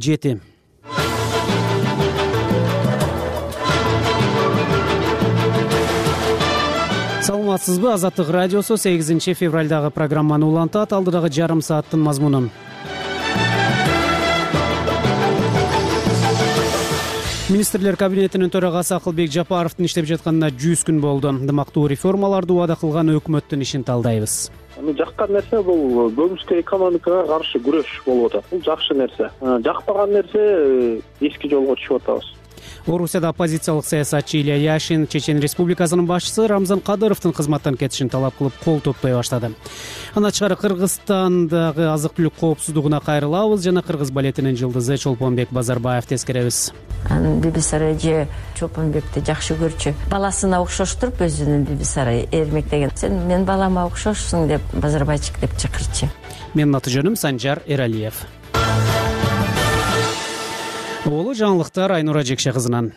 7. Саламатсызбы? Азаттык радиосу 8 февралдагы программаны улантат. Алдыдагы жарым сааттын мазмунун. Министрлер кабинетинин төрагасы Акылбек Жапаровдун иштеп жатканына 100 күн болду. Дымактуу реформаларды убада кылган өкмөттүн ишин талдайбыз. Жаккан нерсе бул көмүскө экономикага каршы күрөш болуп атат. Бул жакшы нерсе. Жакпаган нерсе эски жолго түшүп атабыз. Орусияда оппозициялык саясатчы Илья Яшин Чечен Республикасынын башчысы Рамзан Кадыровдун кызматтан кетишин талап кылып кол топтой баштады. Аны тышкары Кыргызстандагы азык-түлүк коопсуздугуна кайрылабыз жана кыргыз балетинин жылдызы Чолпонбек Базарбаев тескеребиз. Бибисарай же Чолпонбекти жакшы көрчү. Баласына окшоштуруп өзүнүн Бибисарай эрмектеген. Сен мен балама окшошсуң деп Базарбайчик деп чакырчы. Менин аты жөнүм Санжар Эралиев. Улуу жаңылыктар Айнура Жекше кызынан.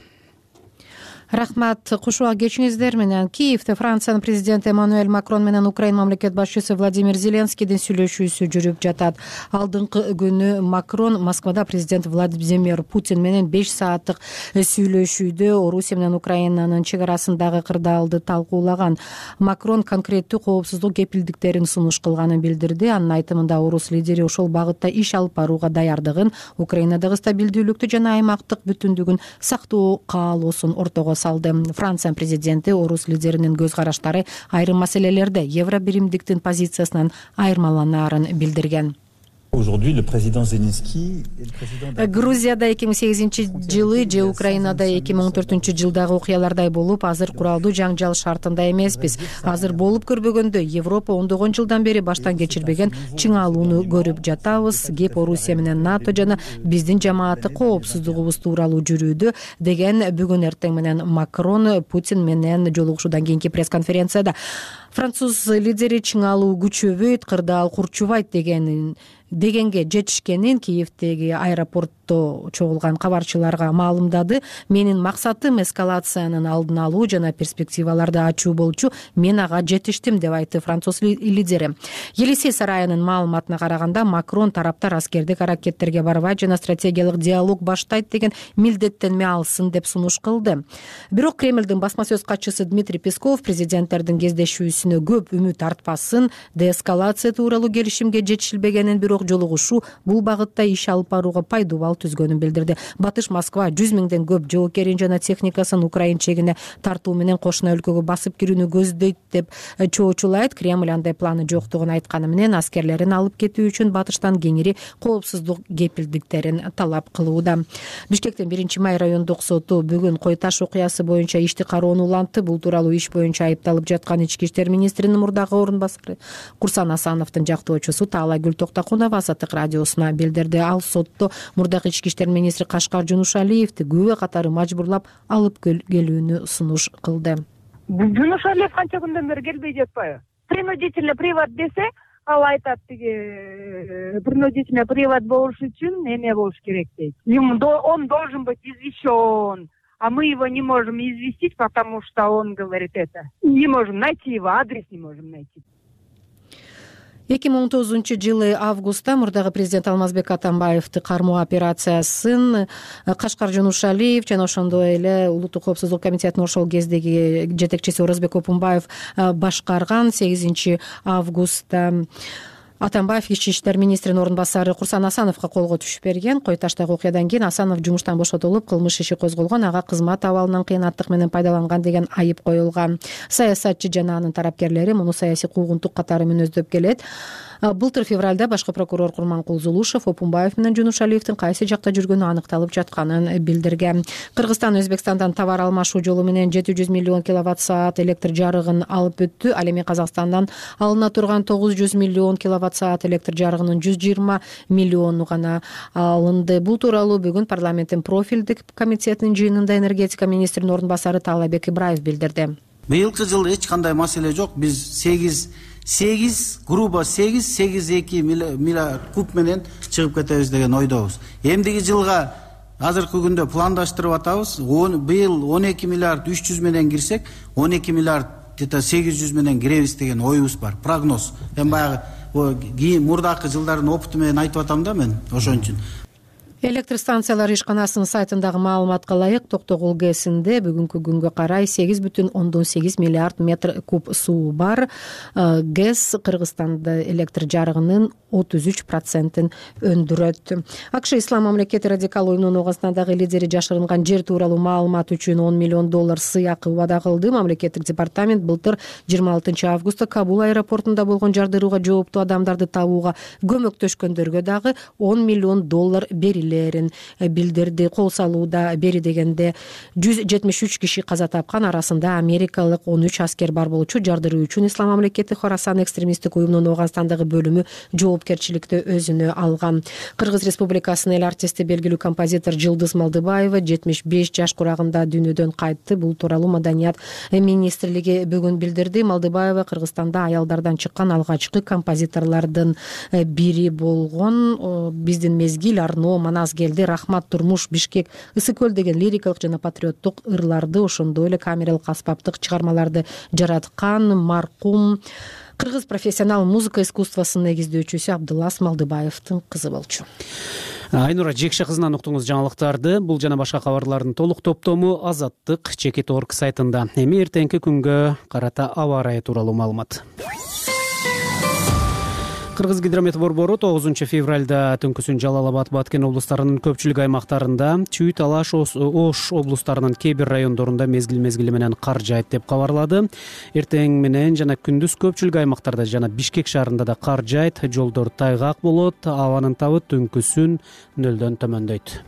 Рахмат. Кушуа кечиңиздер менен. Киевде Франциянын президенти Эммануэль Макрон менен Украина мамлекет башчысы Владимир Зеленскийдин сүйлөшүүсү жүрүп жатат. Алдыңкы күнү Макрон Москвада президент Владимир Путин менен 5 сааттык сүйлөшүүдө Орусия менен Украинанын чек арасындагы кырдаалды талкуулаган. Макрон конкреттүү коопсуздук кепилдиктерин сунуш кылганын билдирди. Анын айтымында орус лидери ошол багытта иш алып барууга даярдыгын, Украинадагы стабилдүүлүктү жана аймактык бүтүндүгүн сактоо каалоосун ортого салды. Франция президенти орус лидеринин көз караштары айрым маселелерде евро биримдиктин позициясынан айырмаланаарын билдирген. Грузияда 2008-жылы же Украинада 2014-жылдагы окуялардай болуп, азыр куралдуу жаңжал шартында эмеспиз. Азыр болуп көрбөгөндө Европа ондогон жылдан бери баштан кечирбеген чыңалууну көрүп жатабыз. Кеп Орусия менен НАТО жана биздин жамааттык коопсуздугубуз тууралуу жүрүүдө, деген бүгүн эртең менен Макрон Путин менен жолугушуудан кийинки пресс-конференцияда. Француз лидери чыңалуу күчөбөйт, кырдаал курчубайт дегенге жетишкенин Киевдеги аэропортто чогулган кабарчыларга маалымдады. Менин максатым эскалациянын алдын алуу жана перспективаларды ачуу болчу. Мен ага жетиштим деп айтты француз лидери. Елисей сарайынын маалыматына караганда, Макрон тараптар аскердик аракеттерге барбайт жана стратегиялык диалог баштайт деген милдеттенме алсын деп сунуш кылды. Бирок Кремлдин басма сөз катчысы Дмитрий Песков президенттердин кездешүүсүнө көп үмүт артпасын, деэскалация тууралуу келишимге жетишилбегенин, бирок жолугушуу бул багытта иш алып барууга пайдубал түзгөнүн билдирди. Батыш Москва 100 миңден көп жоокерин жана техникасын Украин чегине тартуу менен кошуна өлкөгө басып кирүүнү көздөйт деп чоочулайт. Кремль андай планы жоктугун айтканы менен аскерлерин алып кетүү үчүн батыштан кеңири коопсуздук кепилдиктерин талап кылууда. Бишкектин 1-май райондук соту бүгүн Кой Таш окуясы боюнча ишти кароону улантты. Бул тууралуу иш боюнча айыпталып жаткан ички иштер министринин мурдагы орун басары Курсан Асановдун жактоочусу Таалайгүл Токтокунова Азаттык радиосуна билдирди. Ал сотто мурдагы ички иштер министри Кашкар Жунушалиевди күбө катары мажбурлап алып келүүнү сунуш кылды. Жунушалиев канча күндөн бери келбей жатпайбы? Принудительный привод десе, ал айтат принудительный привод болуш үчүн эме болуш керек дейт. Он должен быть извещен. А мы его не можем известить, потому что он говорит это. Не можем найти его, адрес не можем найти. 2019-жылы августта мурдагы президент Алмазбек Атамбаевди кармоо операциясын Кашкар Жунушалиев жана ошондой эле Улуттук коопсуздук комитетинин ошол кездеги жетекчиси Оразбек Опунбаев башкарган. 8 августта Атамбаев ички иштер министринин орун басары Курсан Асановго колго түшүп берген. Кой Таштагы окуядан кийин Асанов жумуштан бошотулуп, кылмыш иши козголгон. Ага кызмат абалынан кыйынаттык менен пайдаланган деген айып коюлган. Саясатчы жана анын тарапкерлери муну саясий куугунтук катары мүнөздөп келет. Былтыр февралда башкы прокурор Курманкул Зулушев Опунбаев менен Жунушалиевдин кайсы жакта жүргөнү аныкталып жатканын билдирген. Кыргызстан Өзбекстандан товар алмашуу жолу менен 700 миллион киловатт-саат электр жарыгын алып өттү. Ал эми Казакстандан алына турган 900 миллион киловатт-саат электр жарыгынын 120 миллиону гана алынды. Бул тууралуу бүгүн парламенттин профилдик комитетинин жыйынында энергетика министринин орун басары Таалайбек Ибраев билдирди. Быйылкы жылы эч кандай маселе жок. Биз 8,2 миллиард куб менен чыгып кетебиз деген ойдобуз. Эмдиги жылга азыркы күндө пландаштырып атабыз. Быйыл 12 миллиард 300 менен кирсек, 12 миллиард 800 менен киребиз деген оюбуз бар. Прогноз. Эми баягы мурдакы жылдардын опыту менен айтып атам да мен ошон үчүн. Электр станциялары ишканасынын сайтындагы маалыматка ылайык Токтогул ГЭСинде бүгүнкү күнгө карай 8,8 миллиард метр куб суу бар. ГЭС Кыргызстанда электр жарыгынын 33% өндүрөт. АКШ Ислам мамлекети радикал уюмунун Ооганстандагы лидери жашырынган жер тууралуу маалымат үчүн $10 миллион сыйакы убада кылды. Мамлекеттик департамент былтыр 26 августта Кабул аэропортунда болгон жардырууга жооптуу адамдарды табууга көмөктөшкөндөргө дагы $10 миллион берилерин билдирди. Кол салууда бери дегенде 173 киши каза тапкан, арасында америкалык 13 аскер бар болчу. Жардыруу үчүн Ислам мамлекети Хорасан экстремисттик уюмунун Ооганстандагы бөлүмү жоопкерчиликти өзүнө алган. Кыргыз Республикасынын эл артисти, белгилүү композитор Жылдыз Малдыбаева 75 жаш курагында дүйнөдөн кайтты. Бул тууралуу Маданият министрлиги бүгүн билдирди. Малдыбаева Кыргызстанда аялдардан чыккан алгачкы композиторлордун бири болгон. Биздин мезгил, Арно, Манас келди, Рахмат, Турмуш, Бишкек, Ысык көл деген лирикалык жана патриоттук ырларды, ошондой эле камералык аспаптык чыгармаларды жараткан маркум Кыргыз профессионал музыка искусствосунун негиздөөчүсү Абдылас Малдыбаевдин кызы болчу. Айнура Жекше кызынан уктуңуз жаңылыктарды. Бул жана башка кабарлардын толук топтому Азаттык Чекит.org сайтында. Эми эртеңки күнгө карата аба ырайы тууралуу маалымат. Кыргыз гидромет борбору 9 февралда түнкүсүн Жалал Абад, Баткен облустарынын көпчүлүк аймактарында, Чүй, Талаш, Ош облустарынын кээ бир райондорунда мезгил менен кар жаайт деп кабарлады. Эртең менен жана күндүз көпчүлүк аймактарда жана Бишкек шаарында да кар жаайт, жолдор тайгак болот, абанын табы түнкүсүн 0 төмөндөйт.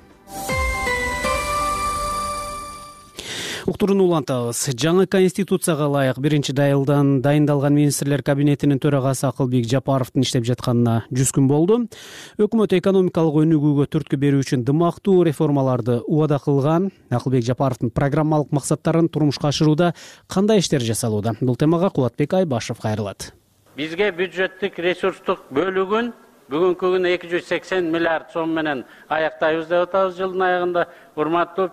Уктурууну улантабыз. Жаңы конституцияга ылайык 1-айылдан дайындалган министрлер кабинетинин төрагасы Акылбек Жапаровдун иштеп жатканына 100 күн болду. Өкмөт экономикалык өнүгүүгө түрткү берүү үчүн дымактуу реформаларды убада кылган. Акылбек Жапаровдун программалык максаттарын турмушка ашырууда кандай иштер жасалууда? Бул темага Кубатбек Айбашев кайрылат. Бизге бюджеттик ресурстук бөлүгүн бүгүнкү күнү 280 миллиард сом менен аяктайбыз деп атабыз жылдын аягында. Урматтуу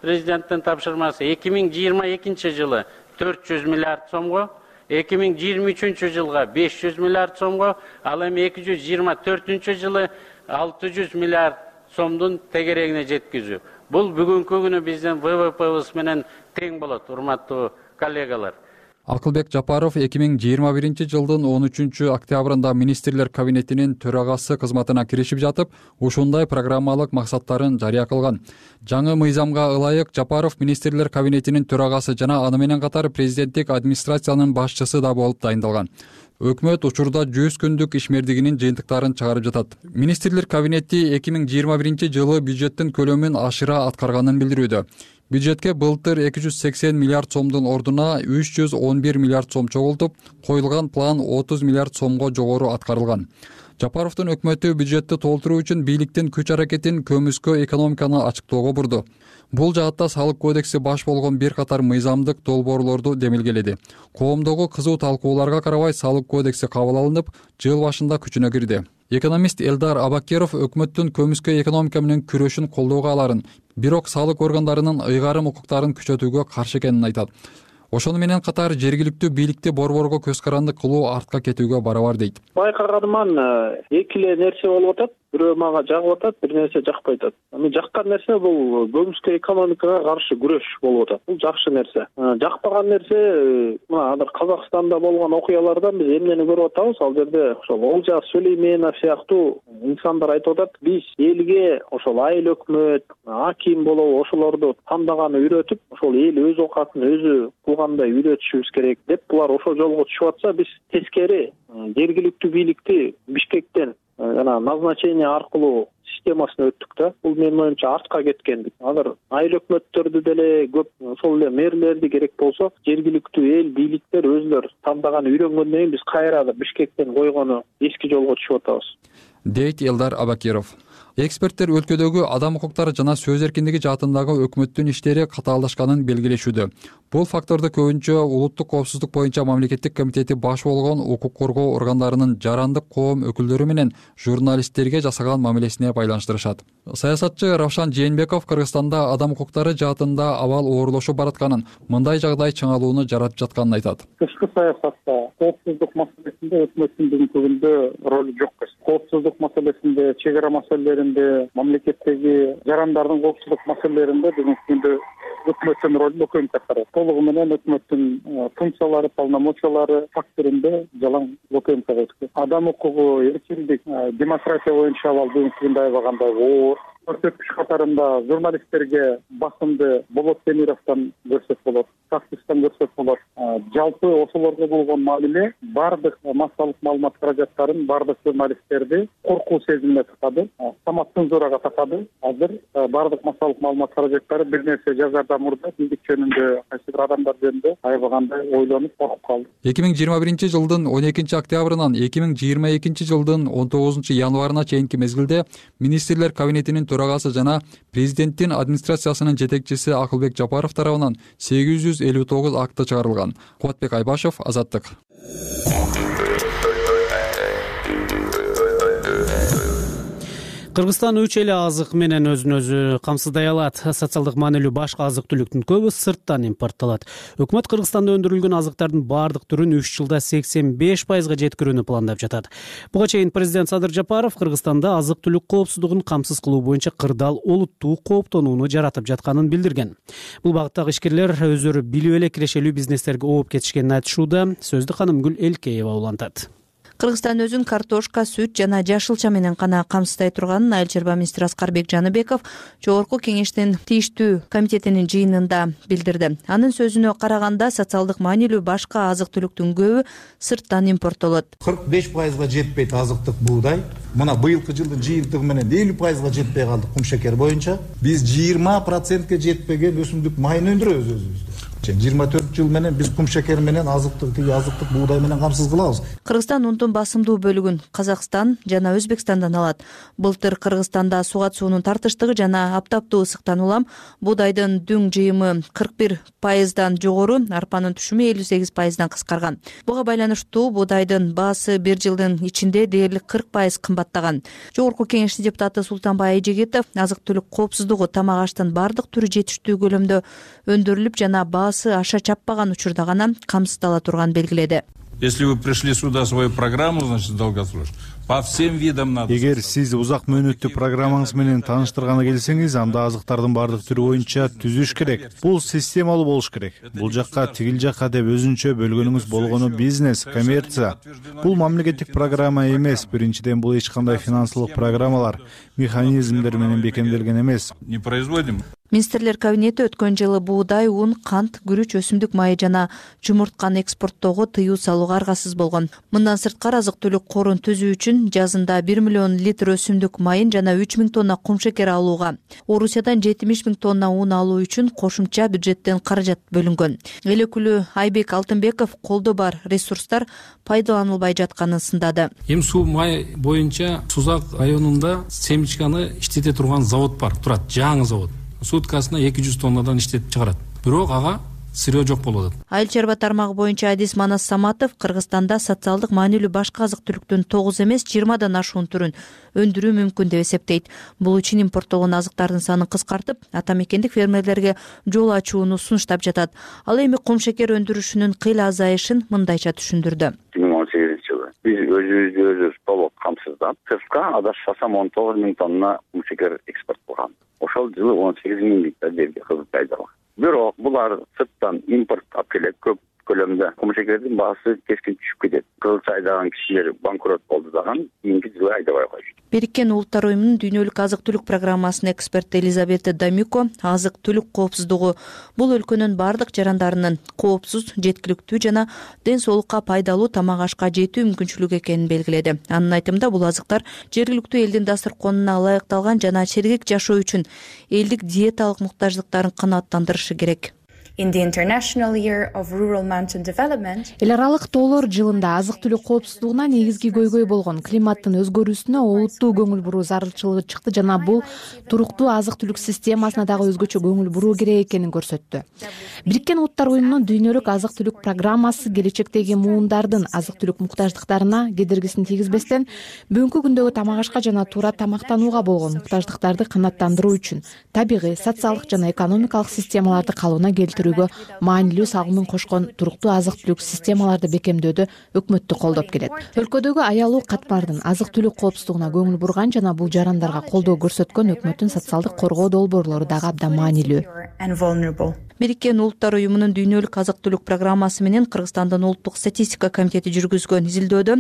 Президенттин тапшырмасы 2022 жылы 400 миллиард сомго, 2023 жылга 500 миллиард сомго, ал эми 2024 жылы 600 миллиард сомдун тегерегине жеткизүү. Бул бүгүнкү күнү биздин ВВПбыз менен тең болот, урматтуу коллегалар. Акылбек Жапаров 2021 жылдын 13 октябрында министрлер кабинетинин төрагасы кызматына киришип жатып, ушундай программалык максаттарын жарыя кылган. Жаңы мыйзамга ылайык Жапаров министрлер кабинетинин төрагасы жана аны менен катар президенттик администрациянын башчысы да болуп дайындалган. Өкмөт учурда 100 күндүк ишмердигинин жыйынтыктарын чыгарып жатат. Министрлер кабинети 2021 жылы бюджеттин көлөмүн ашыра аткарганын билдирүүдө. Бюджетке былтыр 280 миллиард сомдун ордуна 311 миллиард сом чогултуп, коюлган план 30 миллиард сомго жогору аткарылган. Жапаровдун өкмөтү бюджетти толтуруу үчүн бийликтин күч-аракетин көмүскө экономиканы ачыктоого бурду. Бул жаатта салык кодекси баш болгон бир катар мыйзамдык долбоорлорду демилгеледи. Коомдогу кызуу талкууларга карабай салык кодекси кабыл алынып, жыл башында күчүнө кирди. Экономист Элдар Абакеров өкмөттүн көмүскө экономика менен күрөшүн колдоого аларын, бирок салык органдарынын ыйгарым укуктарын күчөтүүгө каршы экенин айтат. Ошону менен катар жергиликтүү бийликти борборго көз каранды кылуу артка кетүүгө барабар дейт. Байкагандыман эки эле нерсе болуп атат. Бирөө мага жагып атат, бир нерсе жакпай атат. Жаккан нерсе бул көмүскө экономикага каршы күрөш болуп атат. Бул жакшы нерсе. Жакпаган нерсе мына азыр Казакстанда болгон окуялардан биз эмнени көрүп атабыз? Ал жерде ошол Олжас Сүлейменов сыяктуу инсандар айтып атат, биз элге ошол айыл өкмөт, аким болобу ошолорду тандаганы үйрөтүп, ошол эл өз оокатын өзү кылгандай үйрөтүшүбүз керек деп, булар ошол жолго түшүп атса, биз тескери жергиликтүү бийликти Бишкектен жана назначение аркылуу системасына өттүк да. Бул менин оюмча артка кеткендик. Азыр айыл өкмөттөрдү деле көп, ошол эле мэрлерди керек болсо, жергиликтүү эл бийликтер өзүлөр тандаганы үйрөнгөндөн кийин биз кайра Бишкектен койгону эски жолго түшүп атабыз, дейт Элдар Абакеров. Эксперттер өлкөдөгү адам укуктары жана сөз эркиндиги жаатындагы өкмөттүн иштери катаалдашканын белгилешүүдө. Бул факторду көбүнчө улуттук коопсуздук боюнча мамлекеттик комитети баш болгон укук коргоо органдарынын жарандык коом өкүлдөрү менен журналисттерге жасаган мамилесине байланыштырышат. Саясатчы Равшан Жээнбеков Кыргызстанда адам укуктары жаатында абал оорлошуп баратканын, мындай жагдай чыңалууну жаратып жатканын айтат. Тышкы саясатта коопсуздук маселесинде өкмөттүн бүгүнкү күндө ролу жок. Коопсуздук маселесинде, чек ара маселелеринде, мамлекеттеги жарандардын коопсуздук маселелеринде бүгүнкү күндө өкмөттүн ролу өкөм катары. Толугу менен өкмөттүн функциялары, полномочиялары фактырында жалаң өкөм катары. Адам укугу, эркиндик, демократия боюнча абал бүгүнкү күндө аябагандай оор. Көрсөткүч катарында журналисттерге басымды Болот Темировдон көрсөк болот, Кактустан көрсөк болот. Жалпы ошолорго болгон мамиле бардык массалык маалымат каражаттарын, бардык журналисттерди коркуу сезимине такады, самоцензурага такады. Азыр бардык массалык маалымат каражаттары бир нерсе жазардан мурда биздик жөнүндө, кайсы бир адамдар жөнүндө аябагандай ойлонуп коркуп калды. 2021 жылдын 12 октябрынан 2022 жылдын 19 январына чейинки мезгилде министрлер кабинетинин төрагасы жана президенттин администрациясынын жетекчиси Акылбек Жапаров тарабынан 859 акты чыгарылган. Кубатбек Айбашев, Азаттык. Кыргызстан үч эле азык менен өзүн өзү камсыздай алат. Социалдык маанилүү башка азык-түлүктүн көбү сырттан импорттолот. Өкмөт Кыргызстанда өндүрүлгөн азыктардын бардык түрүн 3 жылда 85% жеткирүүнү пландап жатат. Буга чейин президент Садыр Жапаров Кыргызстанда азык-түлүк коопсуздугун камсыз кылуу боюнча кырдаал олуттуу кооптонууну жаратып жатканын билдирген. Бул багыттагы ишкерлер өздөрү билип эле кирешелүү бизнестерге ооп кетишкенин айтышууда. Сөздү Канымгүл Элкеева улантат. Кыргызстан өзүн картошка, сүт жана жашылча менен гана камсыздай турганын Айыл чарба министри Аскарбек Жаныбеков Жогорку кеңештин тийиштүү комитетинин жыйынында билдирди. Анын сөзүнө караганда, социалдык маанилүү башка азык-түлүктүн көбү сырттан импорттолот. 45%га жетпейт азыктык буудай. Мына быйылкы жылдын жыйынтыгы менен 50%га жетпей калдык кумшекер боюнча. Биз 20%га жетпеген өсүмдүк майын өндүрөбүз өзүбүздө. 24 жыл менен биз кумшекер менен азыктык буудай менен камсыз кылабыз. Кыргызстан унтун басымдуу бөлүгүн Казакстан жана Өзбекстандан алат. Былтыр Кыргызстанда сугат суунун тартыштыгы жана аптаптуу ысыктан улам буудайдын дүң жыйымы 41%дан жогору, арпанын түшүмү 58%дан кыскарган. Буга байланыштуу буудайдын баасы бир жылдын ичинде дээрлик 40% кымбаттаган. Жогорку кеңештин депутаты Султанбай Айжегитов азык-түлүк коопсуздугу тамак аштын бардык түрү жетиштүү көлөмдө өндүрүлүп жана аша чаппаган учурда гана камсыздала турганын белгиледи. Если вы пришли сюда свою программу, значит, долгосрочную, по всем видам надо. Эгер сиз узак мөөнөттүү программаңыз менен тааныштырганы келсеңиз, анда азыктардын бардык түрү боюнча түзүш керек. Бул системалуу болуш керек. Бул жакка, тигил жакка деп өзүнчө бөлгөнүңүз болгону бизнес, коммерция. Бул мамлекеттик программа эмес. Биринчиден, бул эч кандай финансылык программалар, механизмдер менен бекемделген эмес. Не производим. Министрлер кабинети өткөн жылы буудай, ун, кант, күрүч, өсүмдүк майы жана жумуртканы экспорттоого тыюу салууга аргасыз болгон. Мындан сырткары азык-түлүк корун түзүү үчүн жазында 1 миллион литр өсүмдүк майын жана 3000 тонна кумшекер алууга, Орусиядан 70 000 тонна ун алуу үчүн кошумча бюджеттен каражат бөлүнгөн. Эл өкүлү Айбек Алтынбеков колдо бар ресурстар пайдаланылбай жатканын сындады. Эми суу май боюнча Сузак районунда семечканы иштете турган завод бар, турат, жаңы завод. Суткасына 200 тоннадан иштетип чыгарат. Бирок ага сырье жок болуп атат. Айыл чарба тармагы боюнча Адис Манас Саматов Кыргызстанда социалдык маанилүү башка азык-түлүктүн 9 эмес 20дан ашуун түрүн өндүрүү мүмкүн деп эсептейт. Бул үчүн импорттолгон азыктардын санын кыскартып, ата мекендик фермерлерге жол ачууну сунуштап жатат. Ал эми кумшекер өндүрүшүнүн кыйла азайышын мындайча түшүндүрдү. 2018 жылы биз өзүбүздү толук камсыздап, сыртка адашпасам 19 000 тонна кумшекер экспорт кылган. Ошол жылы 18 000 гектар жерге кызыл пайдаланган. Бирок булар сырттан импорт алып келет көп көлөмдө. Кумшекердин баасы кескин түшүп кетет. Кызыл айдаган кишилер банкрот болду даган, кийинки жылы айдабай койду. Бириккен Улуттар уюмунун дүйнөлүк азык-түлүк программасынын эксперти Элизабета Дамико азык-түлүк коопсуздугу бул өлкөнүн бардык жарандарынын коопсуз, жеткиликтүү жана ден соолукка пайдалуу тамак ашка жетүү мүмкүнчүлүгү экенин белгиледи. Анын айтымында бул азыктар жергиликтүү элдин дасторконуна ылайыкталган жана сергек жашоо үчүн элдик диеталык муктаждыктарын канааттандырышы керек. Эл аралык тоолор жылында азык-түлүк коопсуздугуна негизги көйгөй болгон климаттын өзгөрүүсүнө олуттуу көңүл буруу зарылчылыгы чыкты жана бул туруктуу азык-түлүк системасына дагы өзгөчө көңүл буруу керек экенин көрсөттү. Бириккен Улттар уюмунун дүйнөлүк азык-түлүк программасы келечектеги муундардын азык-түлүк муктаждыктарына кедергисин тийгизбестен бүгүнкү күндөгү тамак ашка жана туура тамактанууга болгон муктаждыктарды канааттандыруу үчүн табигый, социалдык жана экономикалык системаларды калыбына келтирүүгө маанилүү салымын кошкон туруктуу азык-түлүк системаларды бекемдөөдө өкмөттү колдоп келет. Өлкөдөгү аялуу катмардын азык-түлүк коопсуздугуна көңүл бурган жана бул жарандарга колдоо көрсөткөн өкмөттүн социалдык коргоо долбоорлору дагы абдан маанилүү. Бириккен Улуттар уюмунун дүйнөлүк азык-түлүк программасы менен Кыргызстандын улуттук статистика комитети жүргүзгөн изилдөөдө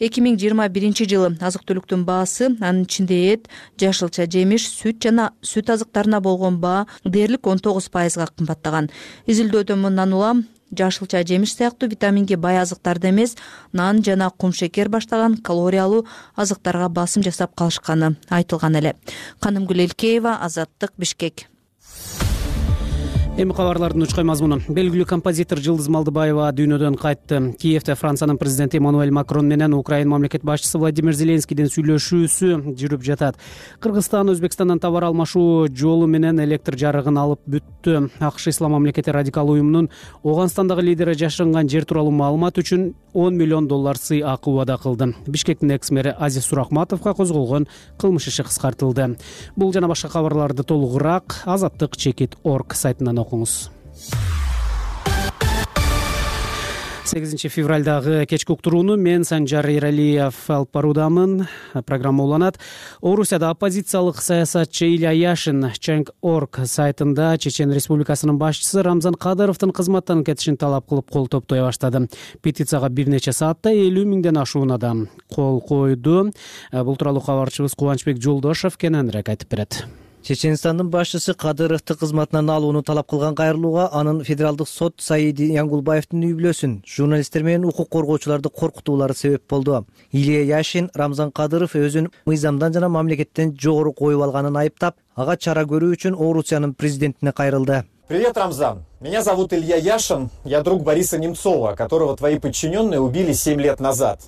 2021 жылы азык-түлүктүн баасы, анын ичинде эт, жашылча жемиш, сүт жана сүт азыктарына болгон баа дээрлик 19%га кымбаттаган. Изилдөөдө мындан улам жашылча жемиш сыяктуу витаминге бай азыктарды эмес, нан жана кумшекер баштаган калориялуу азыктарга басым жасап калышканы айтылган эле. Канымгүл Элкеева, Азаттык, Бишкек. Эми кабарлардын учкай мазмуну. Белгилүү композитор Жылдыз Малдыбаева дүйнөдөн кайтты. Киевде Франциянын президенти Эммануэль Макрон менен Украина мамлекет башчысы Владимир Зеленскийдин сүйлөшүүсү жүрүп жатат. Кыргызстан Өзбекстандан товар алмашуу жолу менен электр жарыгын алып бүттү. АКШ Ислам мамлекети радикал уюмунун Ооганстандагы лидери жашырынган жер тууралуу маалымат үчүн $10 миллион сый акы убада кылды. Бишкектин экс-мэри Азиз Сурахматовго козголгон кылмыш иши кыскартылды. Бул жана башка кабарларды толугураак Азаттык.org сайтынан окуңуз. 8 февралдагы кечки уктурууну мен Санжар Эралиев алып баруудамын. Программа уланат. Орусияда оппозициялык саясатчы Илья Яшин Change.org сайтында Чечен Республикасынын башчысы Рамзан Кадыровдун кызматтан кетишин талап кылып кол топтой баштады. Петицияга бир нече саатта 50 миңден ашуун адам кол койду. Бул тууралуу кабарчыбыз Кубанычбек Жолдошов кененирээк айтып берет. Чеченстандын башчысы Кадыровду кызматынан алууну талап кылган кайрылууга анын федералдык сот Саиди Янгулбаевдин үй-бүлөсүн, журналисттер менен укук коргоочуларды коркутуулары себеп болду. Илья Яшин Рамзан Кадыров өзүн мыйзамдан жана мамлекеттен жогору коюп алганын айыптап, ага чара көрүү үчүн Орусиянын президентине кайрылды. Привет, Рамзан. Меня зовут Илья Яшин. Я друг Бориса Немцова, которого твои подчиненные убили 7 лет назад.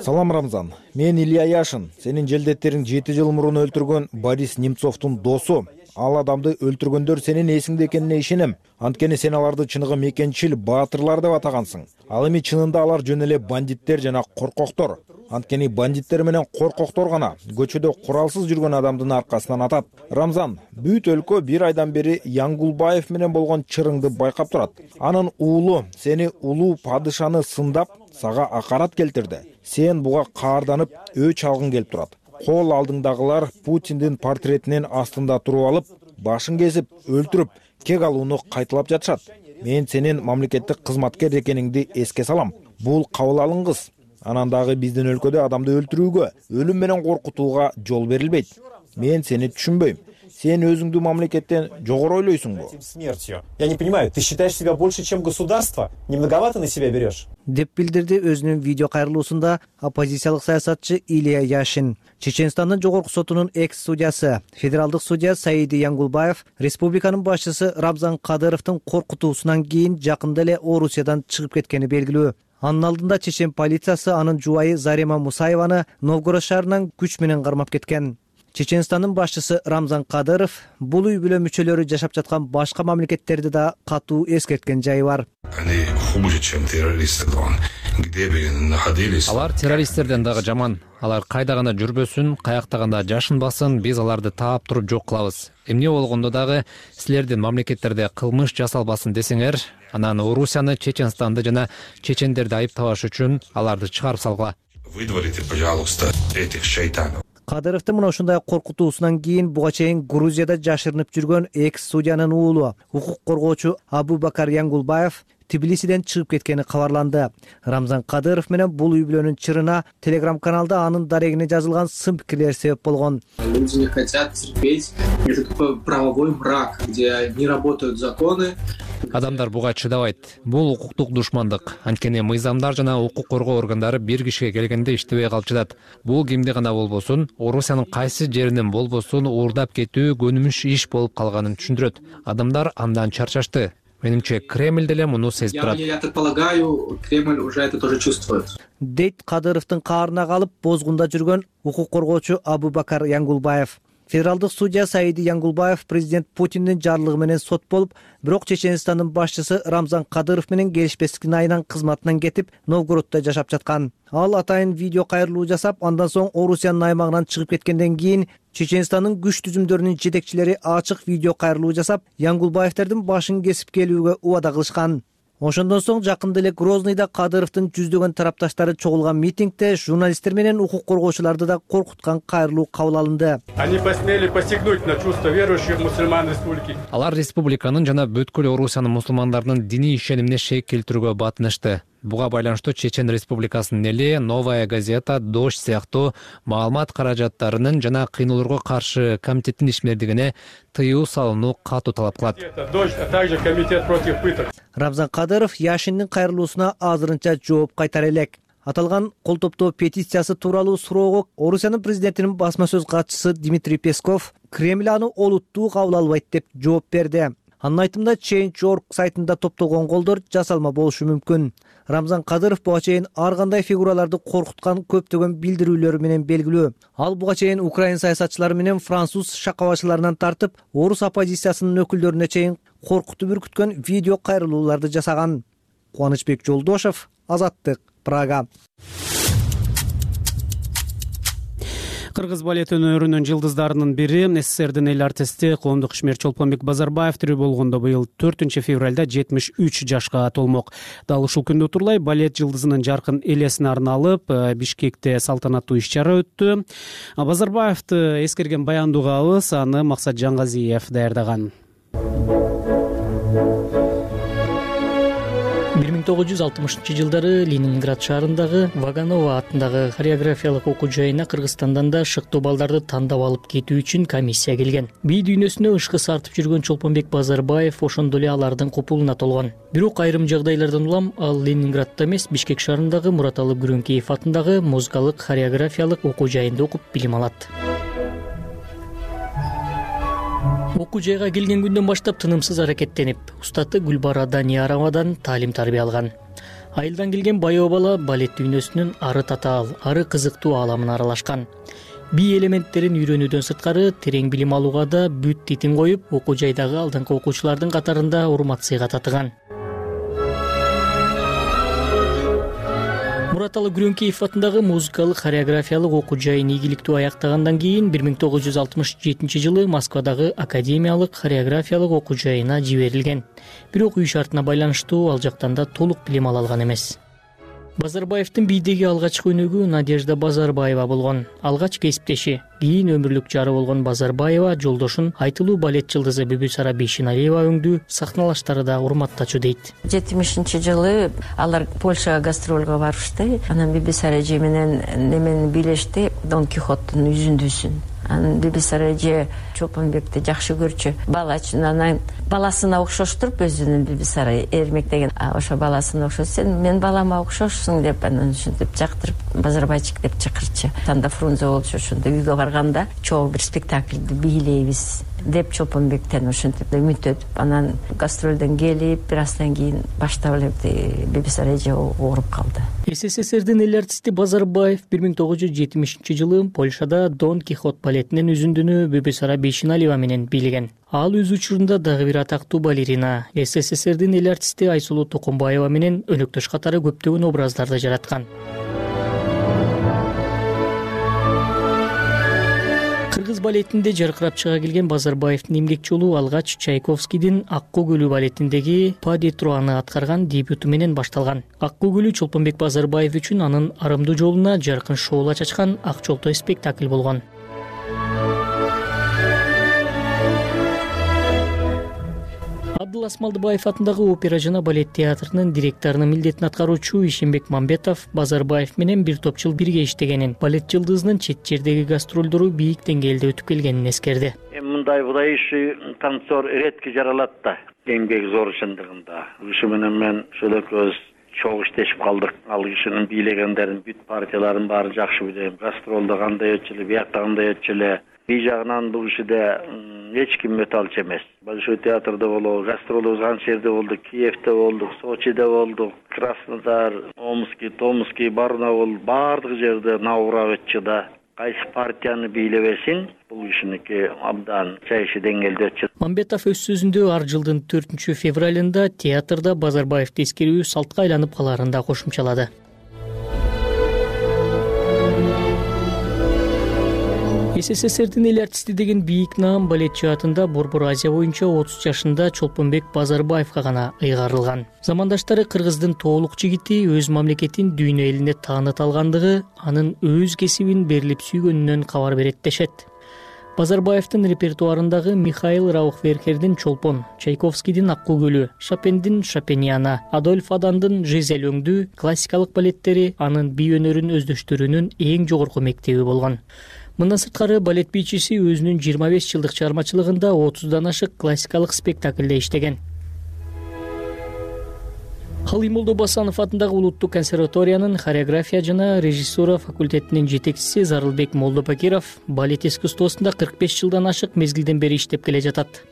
Салам, Рамзан. Мен Илья Яшин. Сенин желдеттериң 7 жыл мурун өлтүргөн Борис Немцовдун досу. Ал адамды өлтүргөндөр сенин эсиңде экенине ишенем. Анткени сен аларды чыныгы мекенчил баатырлар деп атагансың. Ал эми чынында алар жөн эле бандиттер жана коркоктор. Анткени бандиттер менен коркоктор гана көчөдө куралсыз жүргөн адамдын аркасынан атат. Рамзан, бүт өлкө бир айдан бери Янгулбаев менен болгон чырыңды байкап турат. Анын уулу сени улуу падышаны сындап, сага акарат келтирди. Сен буга каарданып, өч алгың келип турат. Кол алдыңдагылар Путиндин портретинин астында туруп алып, башын кесип, өлтүрүп, кек алууну кайталап жатышат. Мен сенин мамлекеттик кызматкер экениңди эске салам. Бул кабыл алынгыс. Анан дагы биздин өлкөдө адамды өлтүрүүгө, өлүм менен коркутууга жол берилбейт. Мен сени түшүнбөйм. Сен өзүңдү мамлекеттен жогору ойлойсуңбу? Я не понимаю, ты считаешь себя больше, чем государство? Не многовато на себя берешь? Деп билдирди өзүнүн видео кайрылуусунда оппозициялык саясатчы Илья Яшин. Чеченстандын жогорку сотунун экс-судьясы, федералдык судья Саиди Янгулбаев республиканын башчысы Рамзан Кадыровдун коркутуусунан кийин жакында эле Орусиядан чыгып кеткени белгилүү. Анын алдында Чечен полициясы анын жубайы Зарема Мусаеваны Новгород шаарынан күч менен кармап кеткен. Чеченстандын башчысы Рамзан Кадыров бул үй-бүлө мүчөлөрү жашап жаткан башка мамлекеттерди да катуу эскерткен жайы бар. Алар террористтерден дагы жаман. Алар кайда гана жүрбөсүн, каякта гана жашынбасын, биз аларды таап туруп жок кылабыз. Эмне болгондо дагы силердин мамлекеттерде кылмыш жасалбасын десеңер, анан Орусияны, Чеченстанды жана чечендерди айыптабаш үчүн аларды чыгарып салгыла. Выдворите, пожалуйста, этих шайтанов. Кадыровдун мына ушундай коркутуусунан кийин буга чейин Грузияда жашырынып жүргөн экс-судьянын уулу, укук коргоочу Абубакар Янгулбаев Тбилисиден чыгып кеткени кабарланды. Рамзан Кадыров менен бул үй-бүлөнүн чырына телеграм-каналда анын дарегине жазылган сын пикирлер себеп болгон. Люди не хотят терпеть этот правовой мрак, где не работают законы. Адамдар буга чыдабайт. Бул укуктук душмандык. Анткени мыйзамдар жана укук коргоо органдары бир кишиге келгенде иштебей калчыдат. Бул кимди гана болбосун, Орусиянын кайсы жеринен болбосун уурдап кетүү көнүмүш иш болуп калганын түшүндүрөт. Адамдар андан чарчашты. Менимче Кремль деле муну сезип турат. Я предполагаю, Кремль уже это тоже чувствует. дейт Кадыровдун каарына калып бозгунда жүргөн укук коргоочу Абубакар Янгулбаев. Федералдык судья Саиди Янгулбаев президент Путиндин жарлыгы менен сот болуп, бирок Чеченстандын башчысы Рамзан Кадыров менен келишпестиктин айынан кызматынан кетип, Новгороддо жашап жаткан. Ал атайын видео кайрылуу жасап, андан соң Орусиянын аймагынан чыгып кеткенден кийин Чеченстандын күч түзүмдөрүнүн жетекчилери ачык видео кайрылуу жасап, Янгулбаевтердин башын кесип келүүгө убада кылышкан. Ошондон соң жакында эле Грознийда Кадыровдун жүздөгөн тарапташтары чогулган митингде журналисттер менен укук коргоочуларды да коркуткан кайрылуу кабыл алынды. Они посмели посягнуть на чувства верующих мусульман республики. Алар республиканын жана бүткүл Орусиянын мусулмандарынын диний ишенимине шек келтирүүгө батынышты. Буга байланыштуу Чечен Республикасынын эли Новая газета, Дождь сыяктуу маалымат каражаттарынын жана кыйноолорго каршы комитеттин ишмердигине тыюу салууну катуу талап кылат. Дождь, а также комитет против пыток. Рамзан Кадыров Яшиндин кайрылуусуна азырынча жооп кайтара элек. Аталган кол топтоо петициясы тууралуу суроого Орусиянын президентинин басма сөз катчысы Дмитрий Песков Кремль аны олуттуу кабыл албайт деп жооп берди. Анын айтымында Change.org сайтында топтолгон колдор жасалма болушу мүмкүн. Рамзан Кадыров буга чейин ар кандай фигураларды коркуткан көптөгөн билдирүүлөрү менен белгилүү. Ал буга чейин Украин саясатчылары менен француз шакабачыларынан тартып, орус оппозициясынын өкүлдөрүнө чейин коркутуп үркүткөн видео кайрылууларды жасаган. Кубанычбек Жолдошев, Азаттык, Прага. Кыргыз балет өнөрүнүн жылдыздарынын бири СССРдин эл артисти коомдук ишмер Чолпонбек Базарбаев тирүү болгондо быйыл 4 февралда 73 жашка толмок. Дал ушул күндө утурлай балет жылдызынын жаркын элесине арналып Бишкекте салтанаттуу иш-чара өттү. Базарбаевди эскерген баяндуу угабыз, аны Максат Жангазиев даярдаган. 1960-жылдары Ленинград шаарындагы Ваганово атындагы хореографиялык окуу жайына Кыргызстандан да шыктуу балдарды тандап алып кетүү үчүн комиссия келген. Би дүйнөсүнө ышкы сартып жүргөн Чолпонбек Базарбаев ошондо эле алардын купулуна толгон. Бирок айрым жагдайлардан улам ал Ленинградда эмес, Бишкек шаарындагы Мураталы Күрөңкеев атындагы музыкалык хореографиялык окуу жайында окуп билим алат. Окуу жайга келген күндөн баштап тынымсыз аракеттенип, устаты Гүлбара Данияровадан таалим-тарбия алган. Айылдан келген байоо бала балет дүйнөсүнүн ары татаал, ары кызыктуу ааламына аралашкан. Би элементтерин үйрөнүүдөн сырткары терең билим алууга да бүт титин коюп, окуу жайдагы алдыңкы окуучулардын катарында урмат сыйга татыган. Мураталы Күрөңкеев атындагы музыкалык хореографиялык окуу жайын ийгиликтүү аяктагандан кийин 1967 жылы Москвадагы Академиялык хореографиялык окуу жайына жиберилген. Бирок үй шартына байланыштуу ал жактан да толук билим ала алган эмес. Базарбаевдин бийдеги алгачкы өнөгү Надежда Базарбаева болгон. Алгач кесиптеши, кийин өмүрлүк жары болгон Базарбаева жолдошун айтылуу балет жылдызы Бүбүсара Бейшеналиева өңдүү сахналаштары да урматтачу дейт. 70-жылы алар Польшага гастролго барышты. Анан Бүбүсара эже менен немени бийлешти, Дон Кихоттун үзүндүсүн. Анан Бүбүсара эже Чолпонбекти жакшы көрчү. Балачынан баласына окшоштуруп өзүнүн Бүбүсара эрмектеген. Ошо баласына окшош, сен мен балама окшошсуң деп анан ушинтип жактырып Базарбайчик деп чакырчы. Танда Фрунзе болчу, ошондо үйгө барганда чогуу бир спектакльди бийлейбиз деп Чолпонбектен ошентип үмүттөнүп, анан гастролдон келип, бир аздан кийин баштап эле Бүбүсара эже ооруп калды. СССРдин эл артисти Базарбаев 1970 жылы Польшада Дон Кихот балетинин үзүндүнү Бүбүсара Бейшеналиева менен бийлеген. Ал өз учурунда дагы бир атактуу балерина, СССРдин эл артисти Айсулуу Токомбаева менен өнөктөш катары көптөгөн образдарды жараткан. Кыргыз балетинде жаркырап чыга келген Базарбаевдин эмгек жолу алгач Чайковскийдин Аккуу көлү балетиндеги Па ди Труаны аткарган дебюту менен башталган. Аккуу көлү Чолпонбек Базарбаев үчүн анын арымдуу жолуна жаркын шоула чачкан ак жолтой спектакль болгон. Абдул Асмалдыбаев атындагы опера жана балет театрынын директорунун милдетин аткаруучу Ишенбек Мамбетов Базарбаев менен бир топ жыл бирге иштегенин, балет жылдызынын чет жердеги гастролдору бийик деңгээлде өтүп келгенин эскерди. Мындай иши танцор редки жаралат да, эмгек зор чындыгында. Ушу менен мен ошол экөөбүз чогуу иштешип калдык. Ал кишинин бийлегендерин бүт партияларын баарын жакшы билем. Гастролдо кандай өтчү эле, биякта кандай өтчү эле. Би жагынан бул ишиде эч ким өтө алчу эмес. Большой театрда болобу, гастролубуз канча жерде болдук, Киевде болдук, Сочиде болдук, Краснодар, Томский, Барнаул, баардык жерде Наврабычыда кайсы партияны бийлебесин, бул кишиники абдан чайшы деңгээлде өтчү. Мамбетов өз сөзүндө ар жылдын 4 февралында театрда Базарбаевди эскерүү салтка айланып каларын да кошумчалады. СССРдин эл артисти деген бийик наам балет жаатында Борбор Азия боюнча 30 жашында Чолпонбек Базарбаевга гана ыйгарылган. Замандаштары кыргыздын тоолук жигити өз мамлекетин дүйнө элине тааныта алгандыгы анын өз кесибин берилип сүйгөнүнөн кабар берет дешет. Базарбаевдин репертуарындагы Михаил Раухверхердин Чолпон, Чайковскийдин Аккуу көлү, Шопендин Шопениана, Адольф Адандын Жизель өңдү классикалык балеттери анын бий өнөрүн өздөштүрүүнүн эң жогорку мектеби болгон. Мындан сырткары балет бийчиси өзүнүн 25 жылдык чыгармачылыгында 30дан ашык классикалык спектакльде иштеген. Калый Молдобасанов атындагы Улуттук консерваториянын хореография жана режиссура факультетинин жетекчиси Зарылбек Молдобакиров балет искусствосунда 45 жылдан ашык мезгилден бери иштеп келе жатат.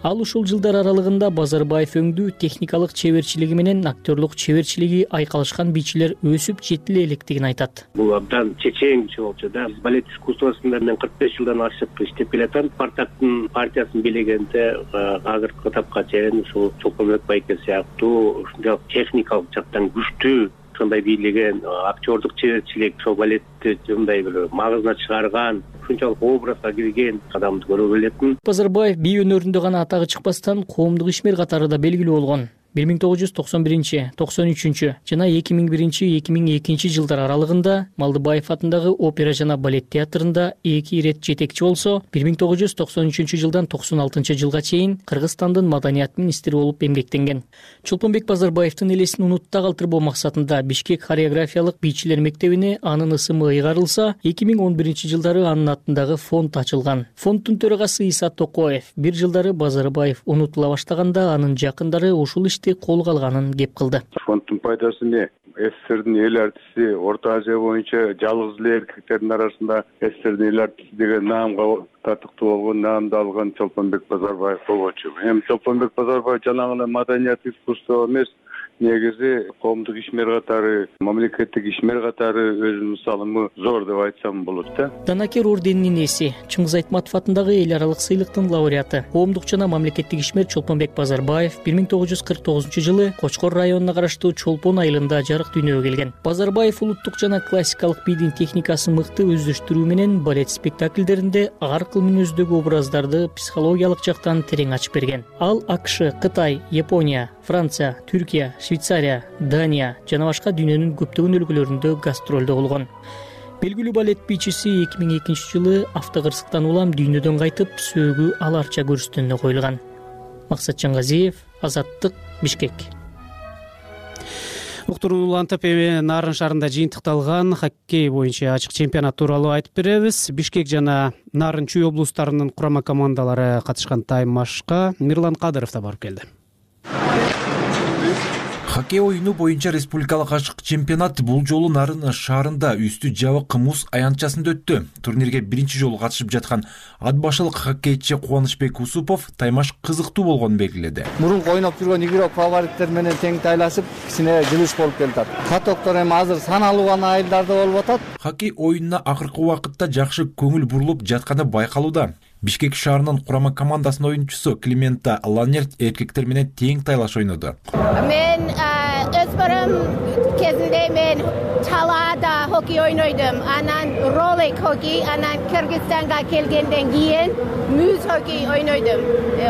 Ал ушул жылдар аралыгында Базарбаев өңдүү техникалык чеберчилиги менен актерлук чеберчилиги айкалышкан бийчилер өсүп жетиле электигин айтат. Бул абдан чечен болчу да. Балет искусствосунда мен 45 жылдан ашык иштеп келатам. Спартактын партиясын бийлегенде азыркы этапка чейин ушул Чолпонбек байке сыяктуу ушундай техникалык жактан күчтүү ушундай бийлеген актерлук чеберчилик, ошол балетти мындай бир магызына чыгарган, ушунчалык образга кирген адамды көрө билетмин. Базарбаев бий өнөрүндө гана атагы чыкпастан коомдук ишмер катары да белгилүү болгон. 1991, 93 жана 2001-2002 жылдар аралыгында Малдыбаев атындагы опера жана балет театрында 2 ирет жетекчи болсо, 1993 жылдан 96 жылга чейин Кыргызстандын маданият министри болуп эмгектенген. Чолпонбек Базарбаевдин элесин унутта калтырбоо максатында Бишкек хореографиялык бийчилер мектебине анын ысымы ыйгарылса, 2011 жылдары анын атындагы фонд ачылган. Фонддун төрагасы Иса Токоев бир жылдары Базарбаев унутула баштаганда анын жакындары ушул колго алганын кеп кылды. Фонддун пайдасы эмне? СССРдин эл артисти Орто Азия боюнча жалгыз эле эркектердин арасында СССРдин эл артисти деген наамга татыктуу болгон, наамды алган Чолпонбек Базарбаев болчу. Эми Чолпонбек Базарбаев жанагы маданият искусство эмес, негизи коомдук ишмер катары, мамлекеттик ишмер катары өзүнүн салымы зор деп айтсам болот да. Данакер орденинин ээси, Чыңгыз Айтматов атындагы эл аралык сыйлыктын лауреаты, коомдук жана мамлекеттик ишмер Чолпонбек Базарбаев 1949 жылы Кочкор районуна караштуу Чолпон айылында жарык дүйнөгө келген. Базарбаев улуттук жана классикалык бийдин техникасын мыкты өздөштүрүү менен балет спектакльдеринде ар кыл мүнөздөгү образдарды психологиялык жактан терең ачып берген. Ал АКШ, Кытай, Япония, Франция, Түркия, Швейцария, Дания жана башка дүйнөнүн көптөгөн өлкөлөрүндө гастролдо болгон. Белгилүү балет бийчиси 2002 жылы автокырсыктан улам дүйнөдөн кайтып, сөөгү аларча көрүстөнүнө коюлган. Максат Жаңгазиев, Азаттык, Бишкек. Уктуруу улантып Нарын шаарында жыйынтыкталган хоккей боюнча ачык чемпионат тууралуу айтып беребиз. Бишкек жана Нарын Чүй облустарынын курама командалары катышкан тайм-машка Мирлан Кадыров да барып келди. Хоккей оюну боюнча республикалык ачык чемпионат бул жолу Нарын шаарында үстү жабык муз аянтчасында өттү. Турнирге биринчи жолу катышып жаткан ат башылык хоккейчи Кубанычбек Усупов таймаш кызыктуу болгонун белгиледи. Мурун ойноп жүргөн игрок фавориттер менен тең тайлашып, кичине жылыш болуп келатат. Катоктор эми азыр саналуу гана айылдарда болуп атат. Хоккей оюнуна акыркы убакытта жакшы көңүл бурулуп жатканы байкалууда. Бишкек шаарынын курама командасынын оюнчусу Климента Ланерт эркектер менен тең тайлаш ойноду. Мен өспөрүм кезинде мен талаада хоккей ойнойдум. Анан ролик хоккей, анан Кыргызстанга келгенден кийин муз хоккей ойнойдум.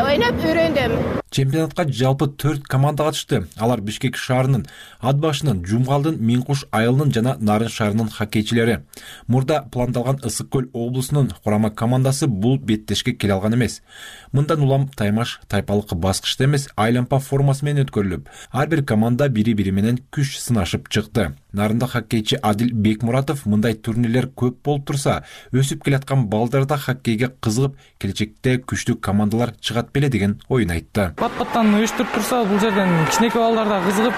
Ойноп үйрөндүм. Чемпионатка жалпы 4 команда катышты. Алар Бишкек шаарынын, Ат башынын, Жумгалдын, Миңкуш айылынын жана Нарын шаарынын хоккейчилери. Мурда пландалган Ысык көл облусунун курама командасы бул беттешке келе алган эмес. Мындан улам таймаш тайпалык баскычта эмес, айлампа формасы менен өткөрүлүп, ар бир команда бири-бири менен күч сынашып чыкты. Нарында хоккейчи Адил Бекмуратов мындай турнирлер көп болуп турса, өсүп келаткан балдарда хоккейге кызыгып, келечекте күчтүү командалар чыгат беле деген оюн айтты. пат-паттан уюштуруп турса, бул жерден кичинекей балдар да кызыгып,